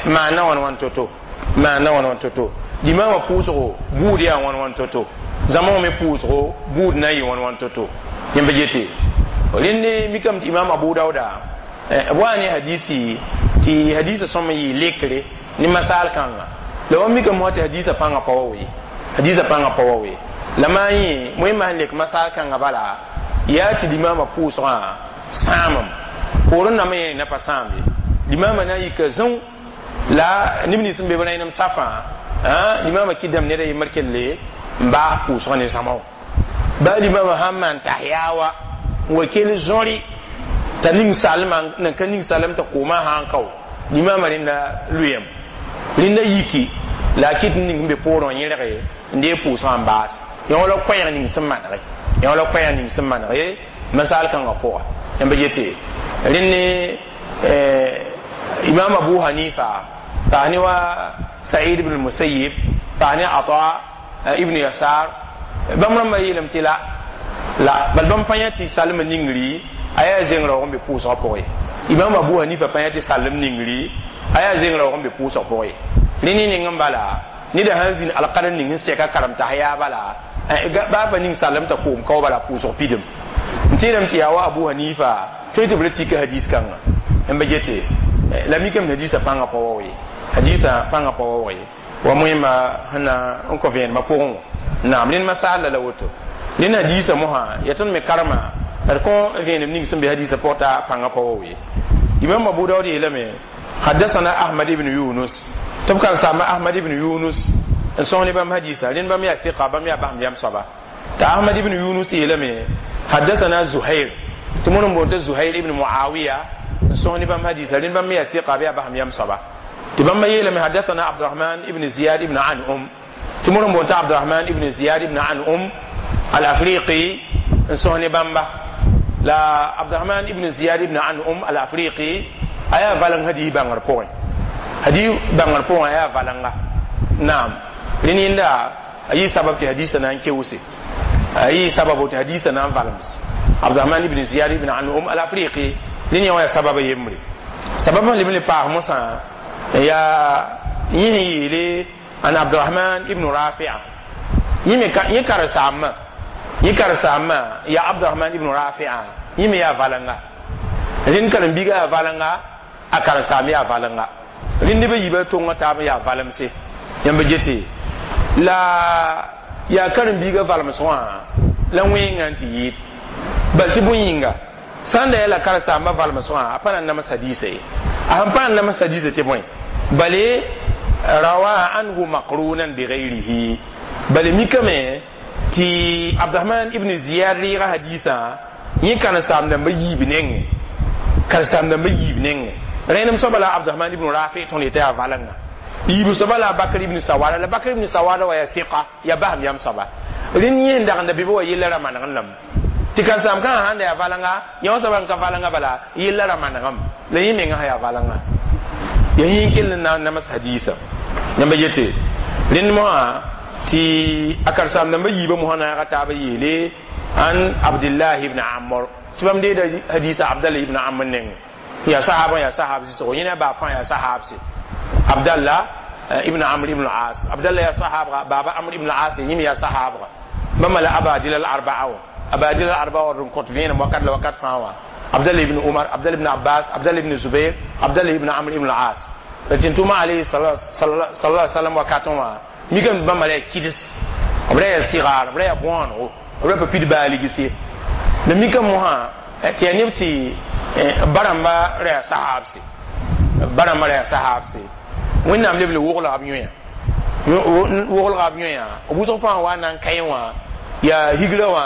maana wãn wãn to-to maana wãn wãn to-to limaamã pʋʋsgo buud yaa wãn wãn to-to zãmsg me pʋʋsgo buud na n yɩ wãn wãn to-to yẽmba gete rẽnd mikame tɩ imam abu dauda b wa ne hadisi tɩ hadisa sõm n yɩ lekre ne masaal kãnga la wa mikame mosã tɩ hadisa pãngã pa wa we hadisa pãngã pa wa we la maa yẽ wẽnnaam sẽn lek masaal kãngã bala yaa tɩ limaamã pʋʋsgã sãamem poorẽ nambã yẽ na pa sãam ye limaamã na n yika zãu la neb nins sẽn be b rẽnem safã limaamã kɩdame ned a yembr kelle n baas pʋʋsgã ne zãma wã baa limaamã sãn maan tahiya wa n wa kell zõri t'a ning salmã nan ka ning salem t'a koomã sã n kao limaamã rẽnda lʋyame rẽnda yiki la a kɩt n ning n be poorẽ wã yẽrge n dee pʋʋsgã n baas yã wala koɛɛg ning sẽn manege yã wala koɛɛg ning sẽn manege masaal kãngã pʋga yãmba yete rẽnd imam abu hanifa paas ne wa said ibn musayyib paas ne ata ibn yasar bãmb rãmbã yeelame tɩ la la bal bãmb pa yã tɩ salmã ningri a yaa zeng raoog n be pʋʋsgã pʋgẽ imam abu hanifa pa yã tɩ salem ningri a yaa zeng raoog n be pʋʋsg pʋgẽ rẽ ne ning n bala neda sãn zĩnd alkad ning sẽn sɛka karem tahiya bala baa pa ning salem t'a koom kao bala pʋʋsg pidem n tẽedame tɩ yaa wa abu hanifa tõe tɩ b ra tika hadis kãnga n ba gete la mikame hadisa pãngã pa wa ye hadisa pãngã pa wa ye wa moẽmba sẽn na n kõ vẽenemã pʋgẽ wã naam rẽnd masaal la la woto rẽnd hadisa mosã yaa tõnd me karema d kõ vẽenem ning sẽn be hadisa pʋg t'a pãngã pa wa ye imam abu daud yeelame حدثنا أحمد بن يونس تبقى سامة أحمد بن يونس n sõs ne bãmb hadisa rẽnd bãmb yaa ثقة bãmb yaa basem yam soaba t'a ahmad ibn yunus yeelame حدثنا زهير tɩ mõr n boond t'a zuhair ibn muawiya n sõs ne bãmb hadisa rẽnd bãmb yaa ثقة bɩ yaa basem yam soaba tɩ bãmba yeelame حدثنا عبد الرحمن ibn زiyad ibn an'um tɩ mõr n boond t'a abdurahman ibn ziyad ibn an'um al-afriqi n sõs ne bãmba la abdurahman ibn ziyad ibn an'um al-afriqi a yaa valeng hadis bãngr pʋgẽ hadis bãngr pʋgẽ a yaa valenga naam rẽnd yẽnda a yɩ sabab tɩ hadisa na n keoose a yɩ sababo tɩ hadisa na n valems abdurahman ibn ziyad ibn an'um al-afriqi rẽnd yã wã yaa sababa yembre sabab sẽn leb n le paas mosã yaa yẽ sẽn yeele an abdurahman ibn rafia yẽ me yẽ karen-saambã yẽ karen-saambã yaa abdurahman ibn rafia yẽ me yaa valenga rẽnd karen-biigã yaa valenga a karen-saam yaa valenga rẽnd neb a yiibã tongã taab n yaa valemse yãmb gete la yaa karen-biigã valems wã la wẽngã n tɩ yɩɩd bal tɩ bõe yĩnga sãn da yaa la karen-saambã valems wã a pa na n nams hadiisa ye a sẽn pa na n nams hadiisa tɩ bõe bale rawa anhu maqrunan bigayrihi bale mikame Tɩ Abdurahman ibn Ziyad reega hadiisã yẽ karen-saam-dãmbã yiib nengẽ, karen-saam-dãmbã yiib nengẽ. Rẽnem soaba la Abdurahman ibn Rafi tõnd yetã yaa valenga. Yiib soaba la Bakr ibn Sawada, la Bakr ibn Sawada wa yaa fiqa, yaa basem yam soaba. Rẽnd yẽ n dag n da bɩ wa yella ra manegẽ lame tɩ karen-saam kãngã sãn da yaa valenga, yã soaba n ka valenga bala yella ra manegame la yẽ menga sã yaa valenga. Ya yẽ kell n na n nams hadiisa. Yãmba yete rẽnd mosã tɩ a karen-saam-dãmbã yiibã mosã naaga taaba yeele an Abdillah ibn Amr, tɩ bãmb deeda hadiisa Abdallah ibn Amr nengẽ. Yaa sahaba, yaa sahab sɩsgo, yẽ na baa fãa yaa sahabse. Abdallah ibn Amr ibn As, Abdallah yaa sahabga, baaba Amr ibn As yẽ me yaa sahabga. Bãmba la abadila al arbaa wã, abadila al arbaa wã n kõt vẽenem wakat la wakat fãa wã: Abdallah ibn Umar, Abdallah ibn Abbas, Abdallah ibn Zubair, Abdallah ibn Amr ibn As. La tɩ tʋma alayhi sallallahu sallam wakatẽ wã mikame bãmba la yaa kɩds, b ra yaa sigaar, b ra yaa bõonego, b ra pa pid baaligse. La mikame mosã tɩ yaa neb tɩ barãmba ra yaa sahabse, barãmba ra yaa sahabse. Wẽnnaam leb le woglga b yõya, woglga b yõya b wʋsg fãa wa na n kaẽ wã yaa higra wã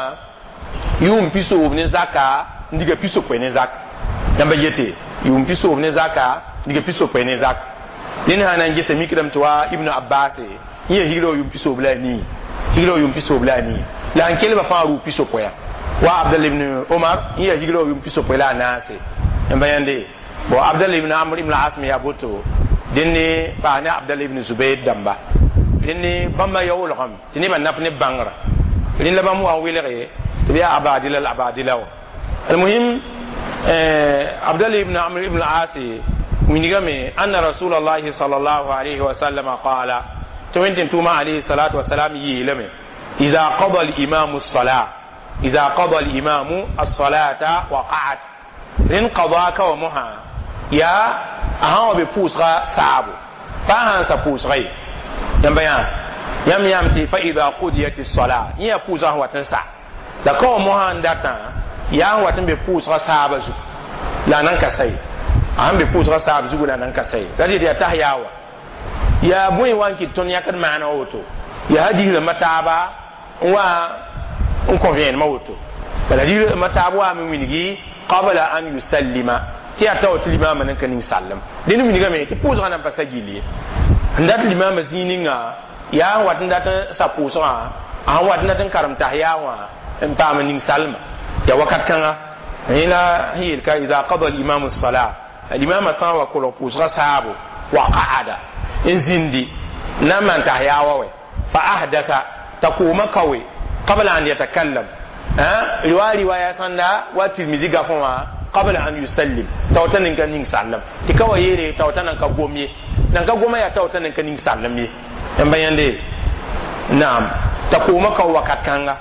yʋʋm pisoob ne zaka n diga pisopoe ne zak. Yãmba yete yʋʋm pisoob ne zaka n diga pisopoe ne zak. Ned sã na n gesa mikdame tɩ wa Ibnu Abbas yẽ yaa higra wã yʋʋm pisoob la a nii, higra wã yʋʋm pisoob la a nii, la n kelba fãa rʋʋ pisopoea. Wa Abdallah ibn Umar yẽ yaa higra wã yʋʋm pisopoe la a naase. Yãmba yãnde bon, Abdallah ibn Amr ibn As me yaa boto dẽnne paas ne Abdallah ibn Zubair dãmba. Rẽnne bãmba ya wolgame tɩ nebã naf ne bãngrã. Rẽnd la bãmb wa n welge tɩ b yaa abadila la abadila wã. Almuhim, Abdallah ibn Amr ibn As wilgame anna Rasulallahi sallallahu alayhi wa sallam qala, tɩ wẽn tɩ tʋʋma alayhi salatu wasalam yeelame: إذا قضى الإمام الصلاة، إذا قضى الإمام الصلاة وقعد. Rẽnd qada ka wa mosã yaa a sã wa be pʋʋsga saabo pa sã n sa pʋʋsga ye. Yãmba yã yãmb yãam tɩ فإذا قضيت الصلاة, yẽ yaa pʋʋsga sẽn wat n sa la ka wa mosã n datã yaa sẽn wat n be pʋʋsga saaba zugu la a nan ka sa ye. A sẽn be pʋʋsga saab zugu la a nan ka sa ye, la dɩ yaa tas yaa wa yaa bõe wa n kɩt tõnd yãkd maana woto. Yaa hadiis rãmbã taaba n wa n kõ vẽenemã woto. Bala hadiis rãmbã taab waame wilgi قبل أن يسلم tɩ yaa tao tɩ limaamã nan ka ning sallem. Dẽnd wilgame tɩ pʋʋsgã nan pa sa gill ye. N dat limaamã zĩig ninga yaa n wat n dat n sa pʋʋsgã, a sẽn wat n dat n karem tas yaa wã n paam n ning salma yaa wakat kãnga. Yẽ la sẽn yeel ka إذا قضى الإمام الصلاة, limaamã sã n wa kolg pʋʋsgã saabo, وقعد n zĩndi na n maan tas yaa wa wɛ, فأحدث t'a koomã kaoe, قبل أن يتكلم, riwaya riwaya sãnda wa Tirmizi gafõ wã, قبل أن يسلم taota nin ka ning sallam. Tɩ ka wa yeele taota nan ka gom ye, nan ka goma yaa taota nan ka ning sallam ye. Yãmba yãnde naam t'a koomã kao wakat kãnga.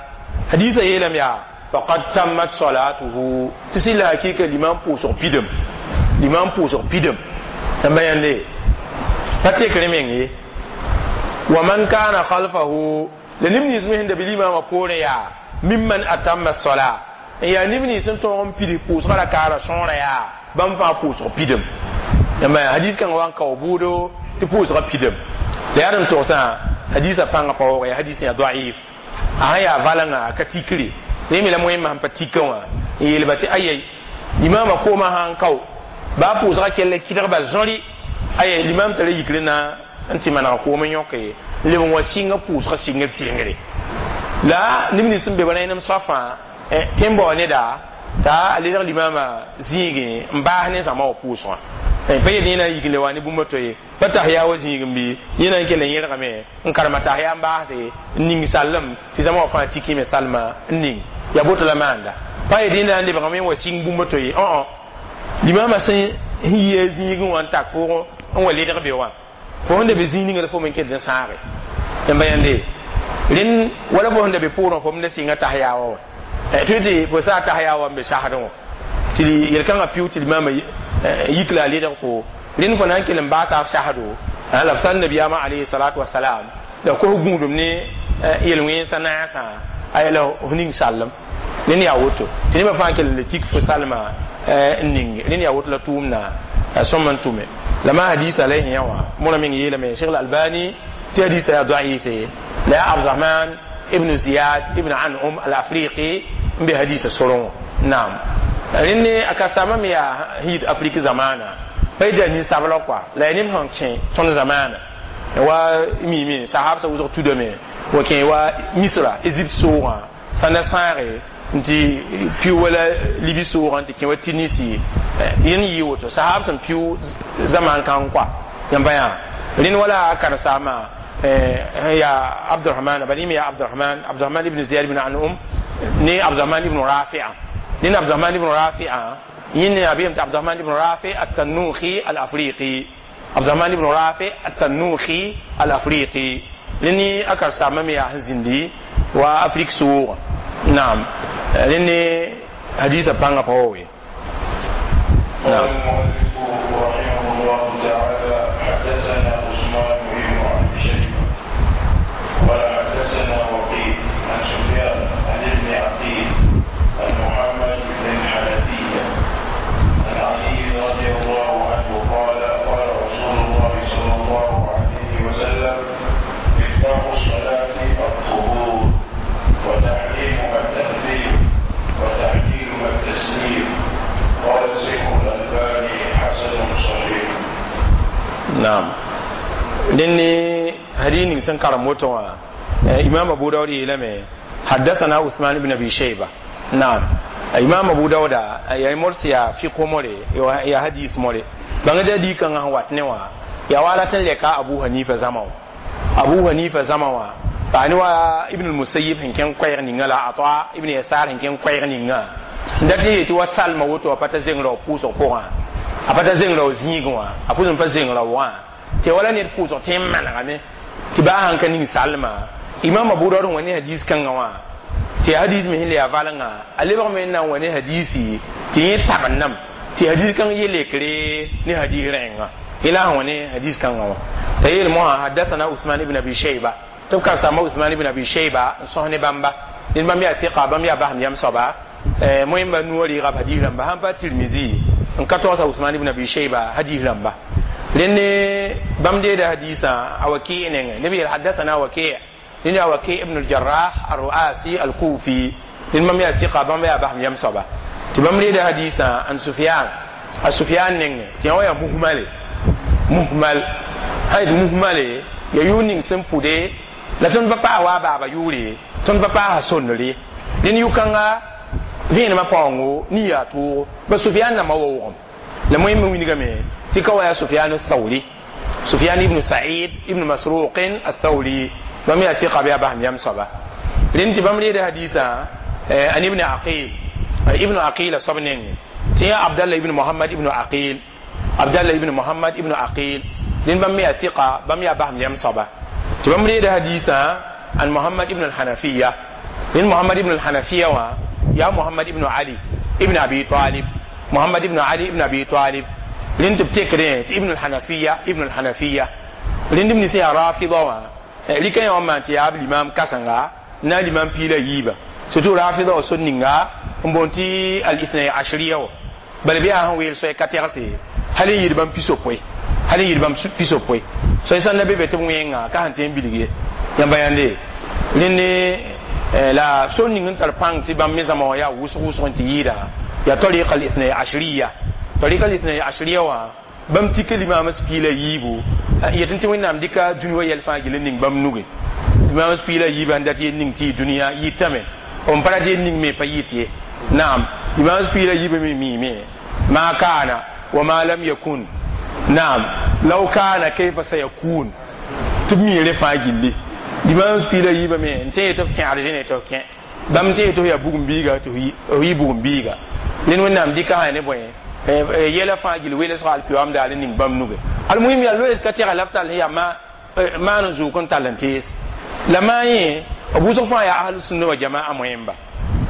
Hadiisa yeelame yaa فقد تمت صلاته, tɩ sɩ la hakɩɩka limam pʋʋsg pidem, limam pʋʋsg pidem. Yãmba yãnde pa tekre meng ye. ومن كان خلفه, la neb nins me sẽn da be limaamã poorẽ yaa ممن أتم الصلاة, n yaa neb nins n tõog n pid pʋʋsgã rakaara sõora yaa bãmb fãa pʋʋsg pidem. Yãmba hadis kãngã wa n kao buudo tɩ pʋʋsgã pidem. La yaa d n togsã hadisã pãngã pa waoog, yaa hadis yaa daif. A sã yaa valengã a ka tikre rẽ me la moẽmã sẽn pa tikã wã n yeelba tɩ ayai limaamã koomã sã n kao baa pʋʋsgã kell kɩdgba zõri aya limam tara yikre na n tɩ maneg koom n yõke n leb n wa sɩnga pʋʋsgã sɩngr sɩngre. La neb nins sẽn be ba rẽnem soafã tẽ n bao neda t'a a ledg limaamã zĩigẽ n baas ne zãma wã pʋʋsgã pa yet yẽ na n yik le wa ne bũmb to ye pa tas yaa wa zĩig n bɩ yẽ na n kell n yẽlgame n karema tas yaa n baase n ning sallem tɩ zãma wã fãa tikime salma n ning yaa boto la maanda pa yet yẽ na n lebgame n wa sɩng bũmb to ye. Õ limaamã sẽn yi a zĩigẽ wã n tak pʋgẽ n wa ledg be wã fo sẽn da be zĩig ninga la fo me n kell n sãage. Yãmba yãnde rẽnd wala fo sẽn da be pʋʋrẽ fo m da sɩnga tas yaa wa wã tɩ tɩ fo saa tas yaa wa n be sasdẽ wã tɩ yel-kãngã piʋ tɩ limaamã yik la a ledg fo rẽnd fo na n kell n baasa f sasdo. La f sãn nabiyaamã alayhi salatu wasalam la kos gũudum ne yel-wẽnsã naasã aya la f ning sallem. Rẽnd yaa woto tɩ nebã fãa kell n le tik fo salma n ning. Rẽnd yaa woto la tʋʋmda sõm n tʋme la ma hadisa la yã wã mora meng yeelame Sheikh Albani tɩ hadisa yaa daif la yaa Abdurahman. ibn Ziyad ibn An'um al-Afriqi n be hadisa sorong naam rẽnd a ka-saama me yaa hid Afrique zamaana pa y da ninsabla kɔa la ya neb sẽn kẽ tõnd zamaana wa mime sahab sa wʋsg tudame wa kẽ wa Misra Égypte soogã sãnda sãage n tɩ piʋ wala Libi soogã n tɩ kẽ wa Tunisi yẽnd yɩ woto sahab sẽn piʋ zamaan kãng kɔa yãmba yã rẽnd wala a karen-saama ya Abdurrahman bala yẽ me ya Abdurrahman Abdurrahman ibn Ziyad ibn An'um ne Abdurrahman ibn Rafi'a ned Abdurrahman ibn Rafi'a yẽnd ne yaa tɩ Abdurrahman ibn Rafi at-Tanuhi al-Afriqi Abdurrahman ibn Rafi at-Tanuhi al-Afriqi rẽnd a karen-saama me yaa sẽn zĩndi wa Afrique soogã naam rẽnd hadisa pãngã pa wa we. قال المؤلف رحمه الله تعالى حدثنا عثمان بن ابي شيبه قال حدثنا وكيع عن سفيان عن ابن عقيل عن محمد بن الحنفيه عن علي رضي الله عنه قال قال رسول الله صلى الله عليه وسلم مفتاح الصلاه الطهور وتحريمها التكبير وتحليلها التسليم قال الشيخ الألباني حسن صحيح. Naam rẽnd hadis ning sẽn karem woto wã imam Abu Dawud yeelame حدثنا عثمان بن ابي شيبه نعم imam Abu Dawud ya morsi ya fiqh more ya hadis more bãng da di kãngã sẽn wat ne wã ya wala tɩ lɛka Abu Hanifa zãma wã Abu Hanifa zãma wã paani wa Ibn al-Musayyib sẽn kẽng koɛɛg ninga la Ata ibn Yasar sẽn kẽng koɛɛg ninga n dat n yetɩ wa salma woto a pa ta zeng rao pʋʋsg pʋgã a pa ta zeng rao zĩigẽ wã a pʋs n pa zeng rao wã tɩ wala ned pʋʋsg tɩ n manegame tɩ baa sãn ka ning salma imam Abu Dawud wa ne hadis kãngã wã tɩ hadis me sẽn le yaa valengã a lebg me n na n wa ne hadisi tɩ yẽ tabendame tɩ hadis kãng yelekre ne hadis rẽnga yẽla sẽn wa ne hadis kãngã wã t'a yeel mosã حدثنا عثمان ibn Abi Shayba tɩ b karsama Usman ibn Abi Shayba n sõs ne bãmba ned bãmb yaa tɩka bãmb yaa basem yam soaba moẽmba nuwã rɩɩga b hadis rãmba sãn pa Tirmizi n ka togsa Usman ibn Abi Shayba hadis rãmba rẽnd bãmb deeda hadisã a Waki nengẽ neb yeel حدثنا وكيع rẽnd yaa Waki ibn al-Jarrah al-Ru'asi al-Kufi rẽnd bãmb yaa tɩka bãmb yaa basem yam soaba tɩ bãmb reeda hadisã an Sufyan a Sufyan nengẽ tɩ yã wa yaa muhmale muhmal sã yet muhmale ya yʋʋr ning sẽn pʋde la tõnd pa paas wa a baaba yʋʋre tõnd pa paasa sondre rẽnd yʋ-kãnga vẽenemã paoongo nin yaa toogo ba Sufyan nambã wa wʋgem la moẽmbe wilgame tɩ ka wa yaa Sufyan Thawri Sufyan ibn Sa'id ibn Masruq al-Thawri bãmb yaa tɩka bɩ yaa basem yam soaba rẽnd tɩ bãmb reeda hadisã an ibn Aqil ibn Aqil a soab nengẽ tɩ yaa Abdallah ibn Muhammad ibn Aqil Abdallah ibn Muhammad ibn Aqil rẽnd bãmb me yaa tɩka bãmb yaa basem yam soaba tɩ bãmb reeda hadisã an Muhammad ibn al-Hanafiya rẽnd Muhammad ibn al-Hanafiya wã yaa Muhammad ibn Ali ibn Abi Talib Muhammad ibn Ali ibn Abi Talib rẽnd tɩ b tekdẽ tɩ ibn al-Hanafiya ibn al-Hanafiya rẽnd b nins yaa rafida wã rɩka yã wã maan tɩ yaa b limam kãsenga na limam piila yiiba surtout rafida wã sor ninga n boond tɩ al-ithnay ashriya wã bala bɩ yaa sẽn weel soay ka tɛgse hal n yɩɩd bãmb pisopoe hal n yɩɩd bãmb pisopoe soay sãn da be be tɩ b wẽnga ka sẽn tɩ n bilg ye yãmba yãnde rẽnd la sor ning n tar pãng tɩ bãmb me zãma wã yaa wʋsg wʋsg n tɩ yɩɩda yaa tariqa al-ithnay ashriya tariqa al-ithnay ashriya wã bãmb tika limaam piila yiibu yetɩ tɩ wẽnnaam dɩka dũni wa yɛl fãa gill n ning bãmb nuge limaam piila yiibã n dat yel ning tɩ yɩ dũniyã yɩtame b pa rat yel ning me pa yɩt ye naam limaam piila yiibã me miime ما كان وما لم يكن naam لو كان كيف سيكون tɩ b miire fãa gilli limaam piila yiibã me n tẽ tɩ b kẽ argene tɩ b kẽ bãmb tẽ tɩ f yaa bugum biiga tɩ f yɩ bugum biiga rẽnd wẽnnaam dɩka sã ne bõe yɛla fãa gill welesg alkiyoam daal n ning bãmb nuge almuhim yaa loees ka tɛga la b tall yaa maan n zʋʋk n tall n tees la maa yẽ b wʋsg fãa yaa ahlu sunna wa jamaa moẽmba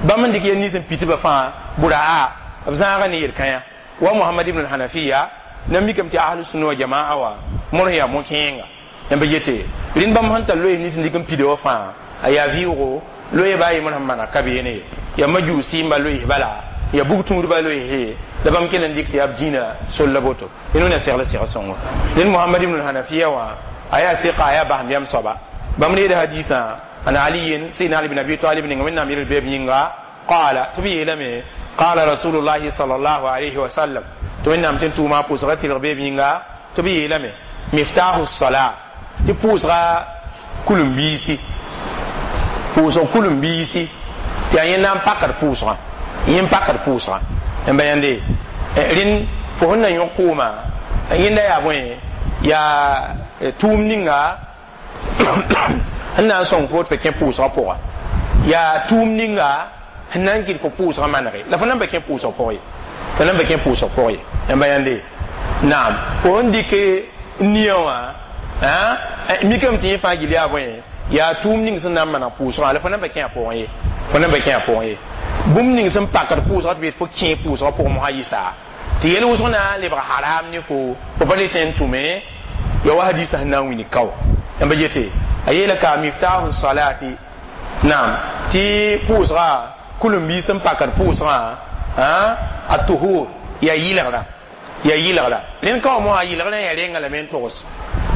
bãmb n dɩk yel nins n pitba fãa bʋra b zãaga ne yel-kãyã wa Muhammad ibn al-Hanafiya na mikame tɩ ahlu sunna wa jamaa wa mõrs yaa mo-kẽenga yãmba yete rẽnd bãmb sẽn tar loees nins n dɩk n pida wã fãa a yaa vɩʋʋgo loe baa yembr sẽn mana ka beene ye yaa majusiimba loees bala ya bug tũudba loeese la bãmb kell n dɩk tɩ yaa b dĩinã sol la boto rẽnd wẽna segl seg sõngo rẽnd Muhammad ibn al-Hanafiya wã a yaa tɩka a yaa basem yam soaba bãmb reeda hadisã. عن علي سيدنا علي بن ابي طالب من امير البيب ينغا قال تبي لمي قال رسول الله صلى الله عليه وسلم تو نام تن توما پوسغا تلg beeb yĩnga tɩ b yeelame miftahu الصلاة tɩ pʋʋsga kulum-biisi pʋʋsg kulum-biisi tɩ yaa yẽnda n pakd pʋʋsgã yẽ n pakd pʋʋsgã n ba yãnde rẽnd fo sẽn na yõk kʋʋma yẽnda yaa bõe yaa tʋʋm ninga sẽn na n sõng fo tɩ fo kẽ pʋʋsgã pʋga yaa tʋʋm ninga sẽn na n kɩt fo pʋʋsgã manege la fo nan pa kẽ pʋʋsg pʋg ye fo nan pa kẽ pʋʋsg pʋg ye n ba yãnde naam fo sẽn dɩk nia wã mikame tɩ yẽ fãa gill yaa bõe yaa tʋʋm ning sẽn na n maneg pʋʋsgã la fo nan pa kẽ a pʋgẽ ye fo nan pa kẽ a pʋgẽ ye bũmb ning sẽn pakd pʋʋsgã tɩ b yet fo kẽ pʋʋsgã pʋgẽ mosã yɩsa tɩ yel wʋsg na n lebg haram ne fo fo pa le tõe n tʋme ya wa hadisa sẽn na n wilg kao n ba yete a yeela ka miftahu salati naam tɩ pʋʋsga kulum-biis sẽn pakd pʋʋsgã a tuhur ya yɩlgrã ya yɩlgra rẽnd ka wã mosã yɩlgrã yaa renga lame n togs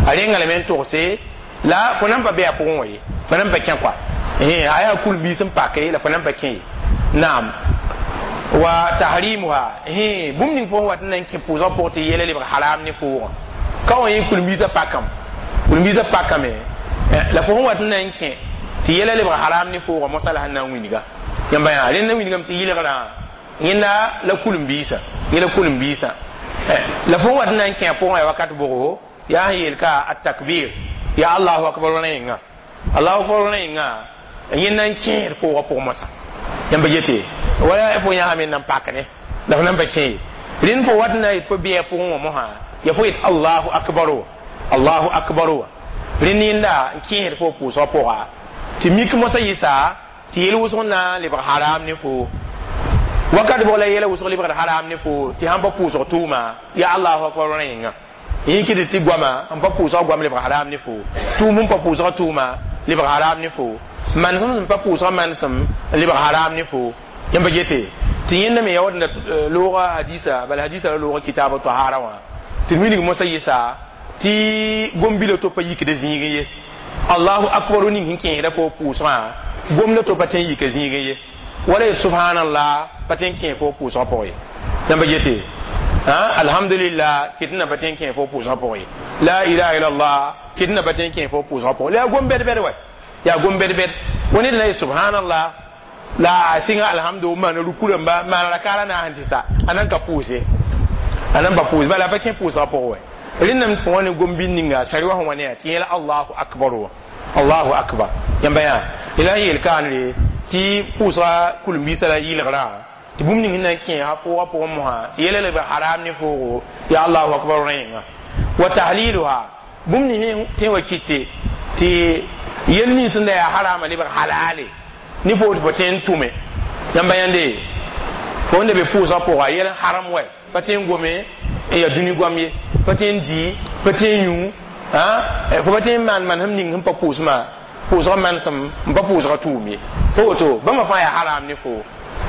a renga lame n togse la fo nan pa be a pʋgẽ wã ye fo nan pa kẽ kɔa a yaa kulum-biis n pake la fo nan pa kẽ ye naam wa tahrimuha bũmb ning fo sẽn wat n na n kẽ pʋʋsgã pʋgẽ tɩ yɛla lebg haram ne foogã ka wã yẽ kulum-biisã pakame kulum-biisã pakame la fo sẽn wat n na n kẽ tɩ yɛla lebg haram ne foogã mosã la sẽn na n wilga yãmba yaa rẽnd na wilgame tɩ yɩlgrã yẽnda la kulum-biisã yẽla kulum-biisã la fo sẽn wat n na n kẽ a pʋgẽ yaa wakat bʋgo yaa sẽn yeel ka a takbir ya allahu akbar wã yẽnga allahu akbar wã yẽnga yẽnda n kẽed foogã pʋgẽ mosã yãmba yete wala fo yãsame n nan pak ne la fo nan pa kẽ ye rẽnd fo wat n na yet fo bɩa pʋgẽ wã mosã ya fo yet allahu akbar wa allahu akbar wa rẽnd yẽnda n kẽesd fo pʋʋsgã pʋga tɩ mik mosã yɩsa tɩ yel wʋsg na n lebg haram ne fo wakat bʋg la yɛla wʋsg lebgd haram ne fo tɩ sãn pa pʋʋsg tʋʋma ya allahu akbar wã yẽnga yẽ kɩd tɩ goama n pa pʋʋsga goam lebg haram ne fo tʋʋm n pa pʋʋsga tʋʋma lebg haram ne fo manesem sẽn pa pʋʋsga manesem n lebg haram ne fo yãmba gete tɩ yẽnda me ya wat looga hadisa bala hadisa la looga kitaab tahara wã tɩ wilg mosã yɩsa tɩ gom-bila to pa yikd zĩigẽ ye allahu akbar ning sẽn kẽesda fo pʋʋsgã gomda to pa tõe n yika zĩigẽ ye wala ye subhanallah pa tõe n kẽe fo pʋʋsgã pʋgẽ ye yãmba gete alhamdulillah kɩt na pa tõe n kẽe fo pʋʋsgã pʋgẽ ye la ilaha illallah kɩt na pa tõe n kẽe fo pʋʋsgã pʋgẽ la yaa gom bɛd-bɛd wɛ yaa gom bɛd-bɛd wa ned na ye subhanallah la a sɩnga alhamdu n maana ruku rãmba maana rakaara na sẽn tɩ sa a nan ka pʋʋse a nan pa pʋʋse bala a pa kẽ pʋʋsgã pʋgẽ wɛ rẽndame fo wã ne gom-bil ninga sari wã sẽn wa ne yaa tɩ yẽla allahu akbar wa allahu akbar yãmba yaa la n yeel kaanre tɩ pʋʋsga kulum-biisã la yɩlgrã tɩ bũmb ning sẽn na n kẽ a pʋgã pʋgẽ mosã tɩ yɛla lebg haram ne foogo ya allahu akbar rã yẽnga wa tahliluha bũmb ning tẽ wa kɩte tɩ yel nins sẽn da yaa harama lebg halale ne fo tɩ fo tõe n tʋme yãmba yãnde fo sẽn da be pʋʋsgã pʋga yɛl haram wɛ pa tõe n gome n yaa dũni goam ye pa tõe n dɩ pa tõe n yũ fo pa tõe n maan manesem ning sẽn pa pʋʋsmã pʋʋsgã manesem n pa pʋʋsgã tʋʋm ye fo woto bãmba fãa yaa haram ne fo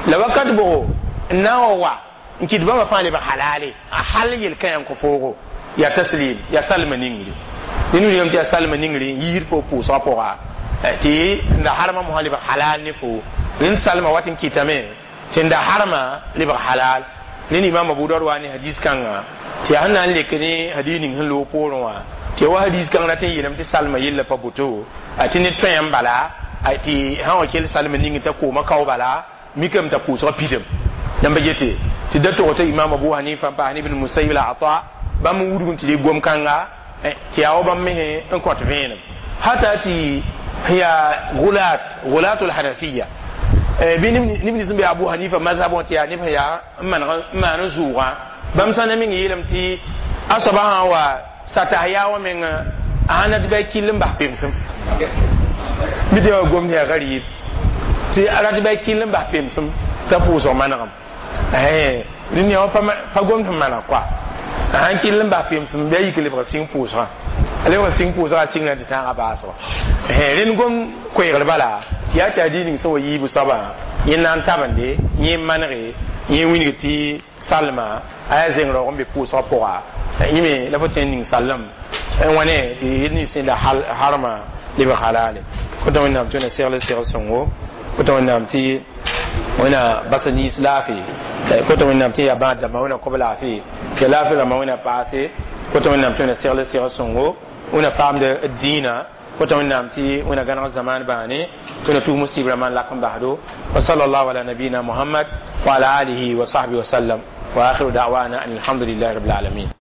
la wakat bʋgo n na n wa wa n kɩt bãmba fãa lebg halale a hal yel-kã yãn kõ foogo yaa taslim yaa salma ningri ned wilgame tɩ yaa salma ningri n yiisd fo pʋʋsgã pʋga tɩ n da harma mosã lebg halal ne fo rẽnd salma wat n kɩtame tɩ n da harma lebg halal ned imam abu daud wa ne hadis kãnga tɩ yaa sẽn na n lek ne hadis ning sẽn loog poorẽ wã tɩ wa hadis kãng rat n yeelame tɩ salma yella pa boto tɩ ned tõe n bala tɩ sã wa kell salma ning t'a kooma kao bala mikame t'a pʋʋsgã pidem yãmba gete tɩ da tog t'a imam abu hanifa n paas ibn musayib la ata bãmb n wudg n tɩ dɩ gom kãnga tɩ yaa wa bãmb mesẽ n kõt vẽenem hata tɩ yaa gulat gulatul hanafiya bɩ neb nins n be abu hanifa mazhab wã tɩ yaa neb sẽn yaa n maan n zʋʋgã bãmb sã na meng yeelame tɩ a soaba sã n wa satas yaa wã meng a sãn na tɩ ba kill n bas pemsem bɩ tɩ yaa gomd yaa garib tɩ a rat ba kill n bas pemsem t'a pʋʋsg manegem rẽnd yaa pa gomd sẽn maneg koa a sãn kill n bas pemsem bɩ a yik lebg sɩng pʋʋsgã a lebg sɩng pʋʋsgã a sɩng na tɩ tãagã baasgã rẽnd gom koeegr bala tɩ yaa tɩ a dĩig ning sẽn wa yiibu soabã yẽ na n tabende yẽ n manege yẽ wilg tɩ salma a yaa zeng raoog n be pʋʋsgã pʋga yẽ me la fo tõe n ning sallem n wa ne tɩ yel nins sẽn la harma Lebg halale. Kota Wẽnnaam tɩ wẽna segl segl sõngo, kota Wẽnnaam tɩ wẽna basa niis laafɩ, kota Wẽnnaam tɩ yaa bãad dãmbã wẽna kob laafɩ, tɩ laafɩ rãmbã wẽna paase, kota Wẽnnaam tɩ wẽna segl segl sõngo, wẽna paamd dĩinã, kota Wẽnnaam tɩ wẽna gãneg zamaan bãane, tɩ wẽna tug musib rãmbã n lak n basdo. Wa sallallahu ala nabiyina Muhammad wa ala alihi wa sahbihi wa sallam, wa akhiru da'wana an alhamdulillahi rabbil alamin.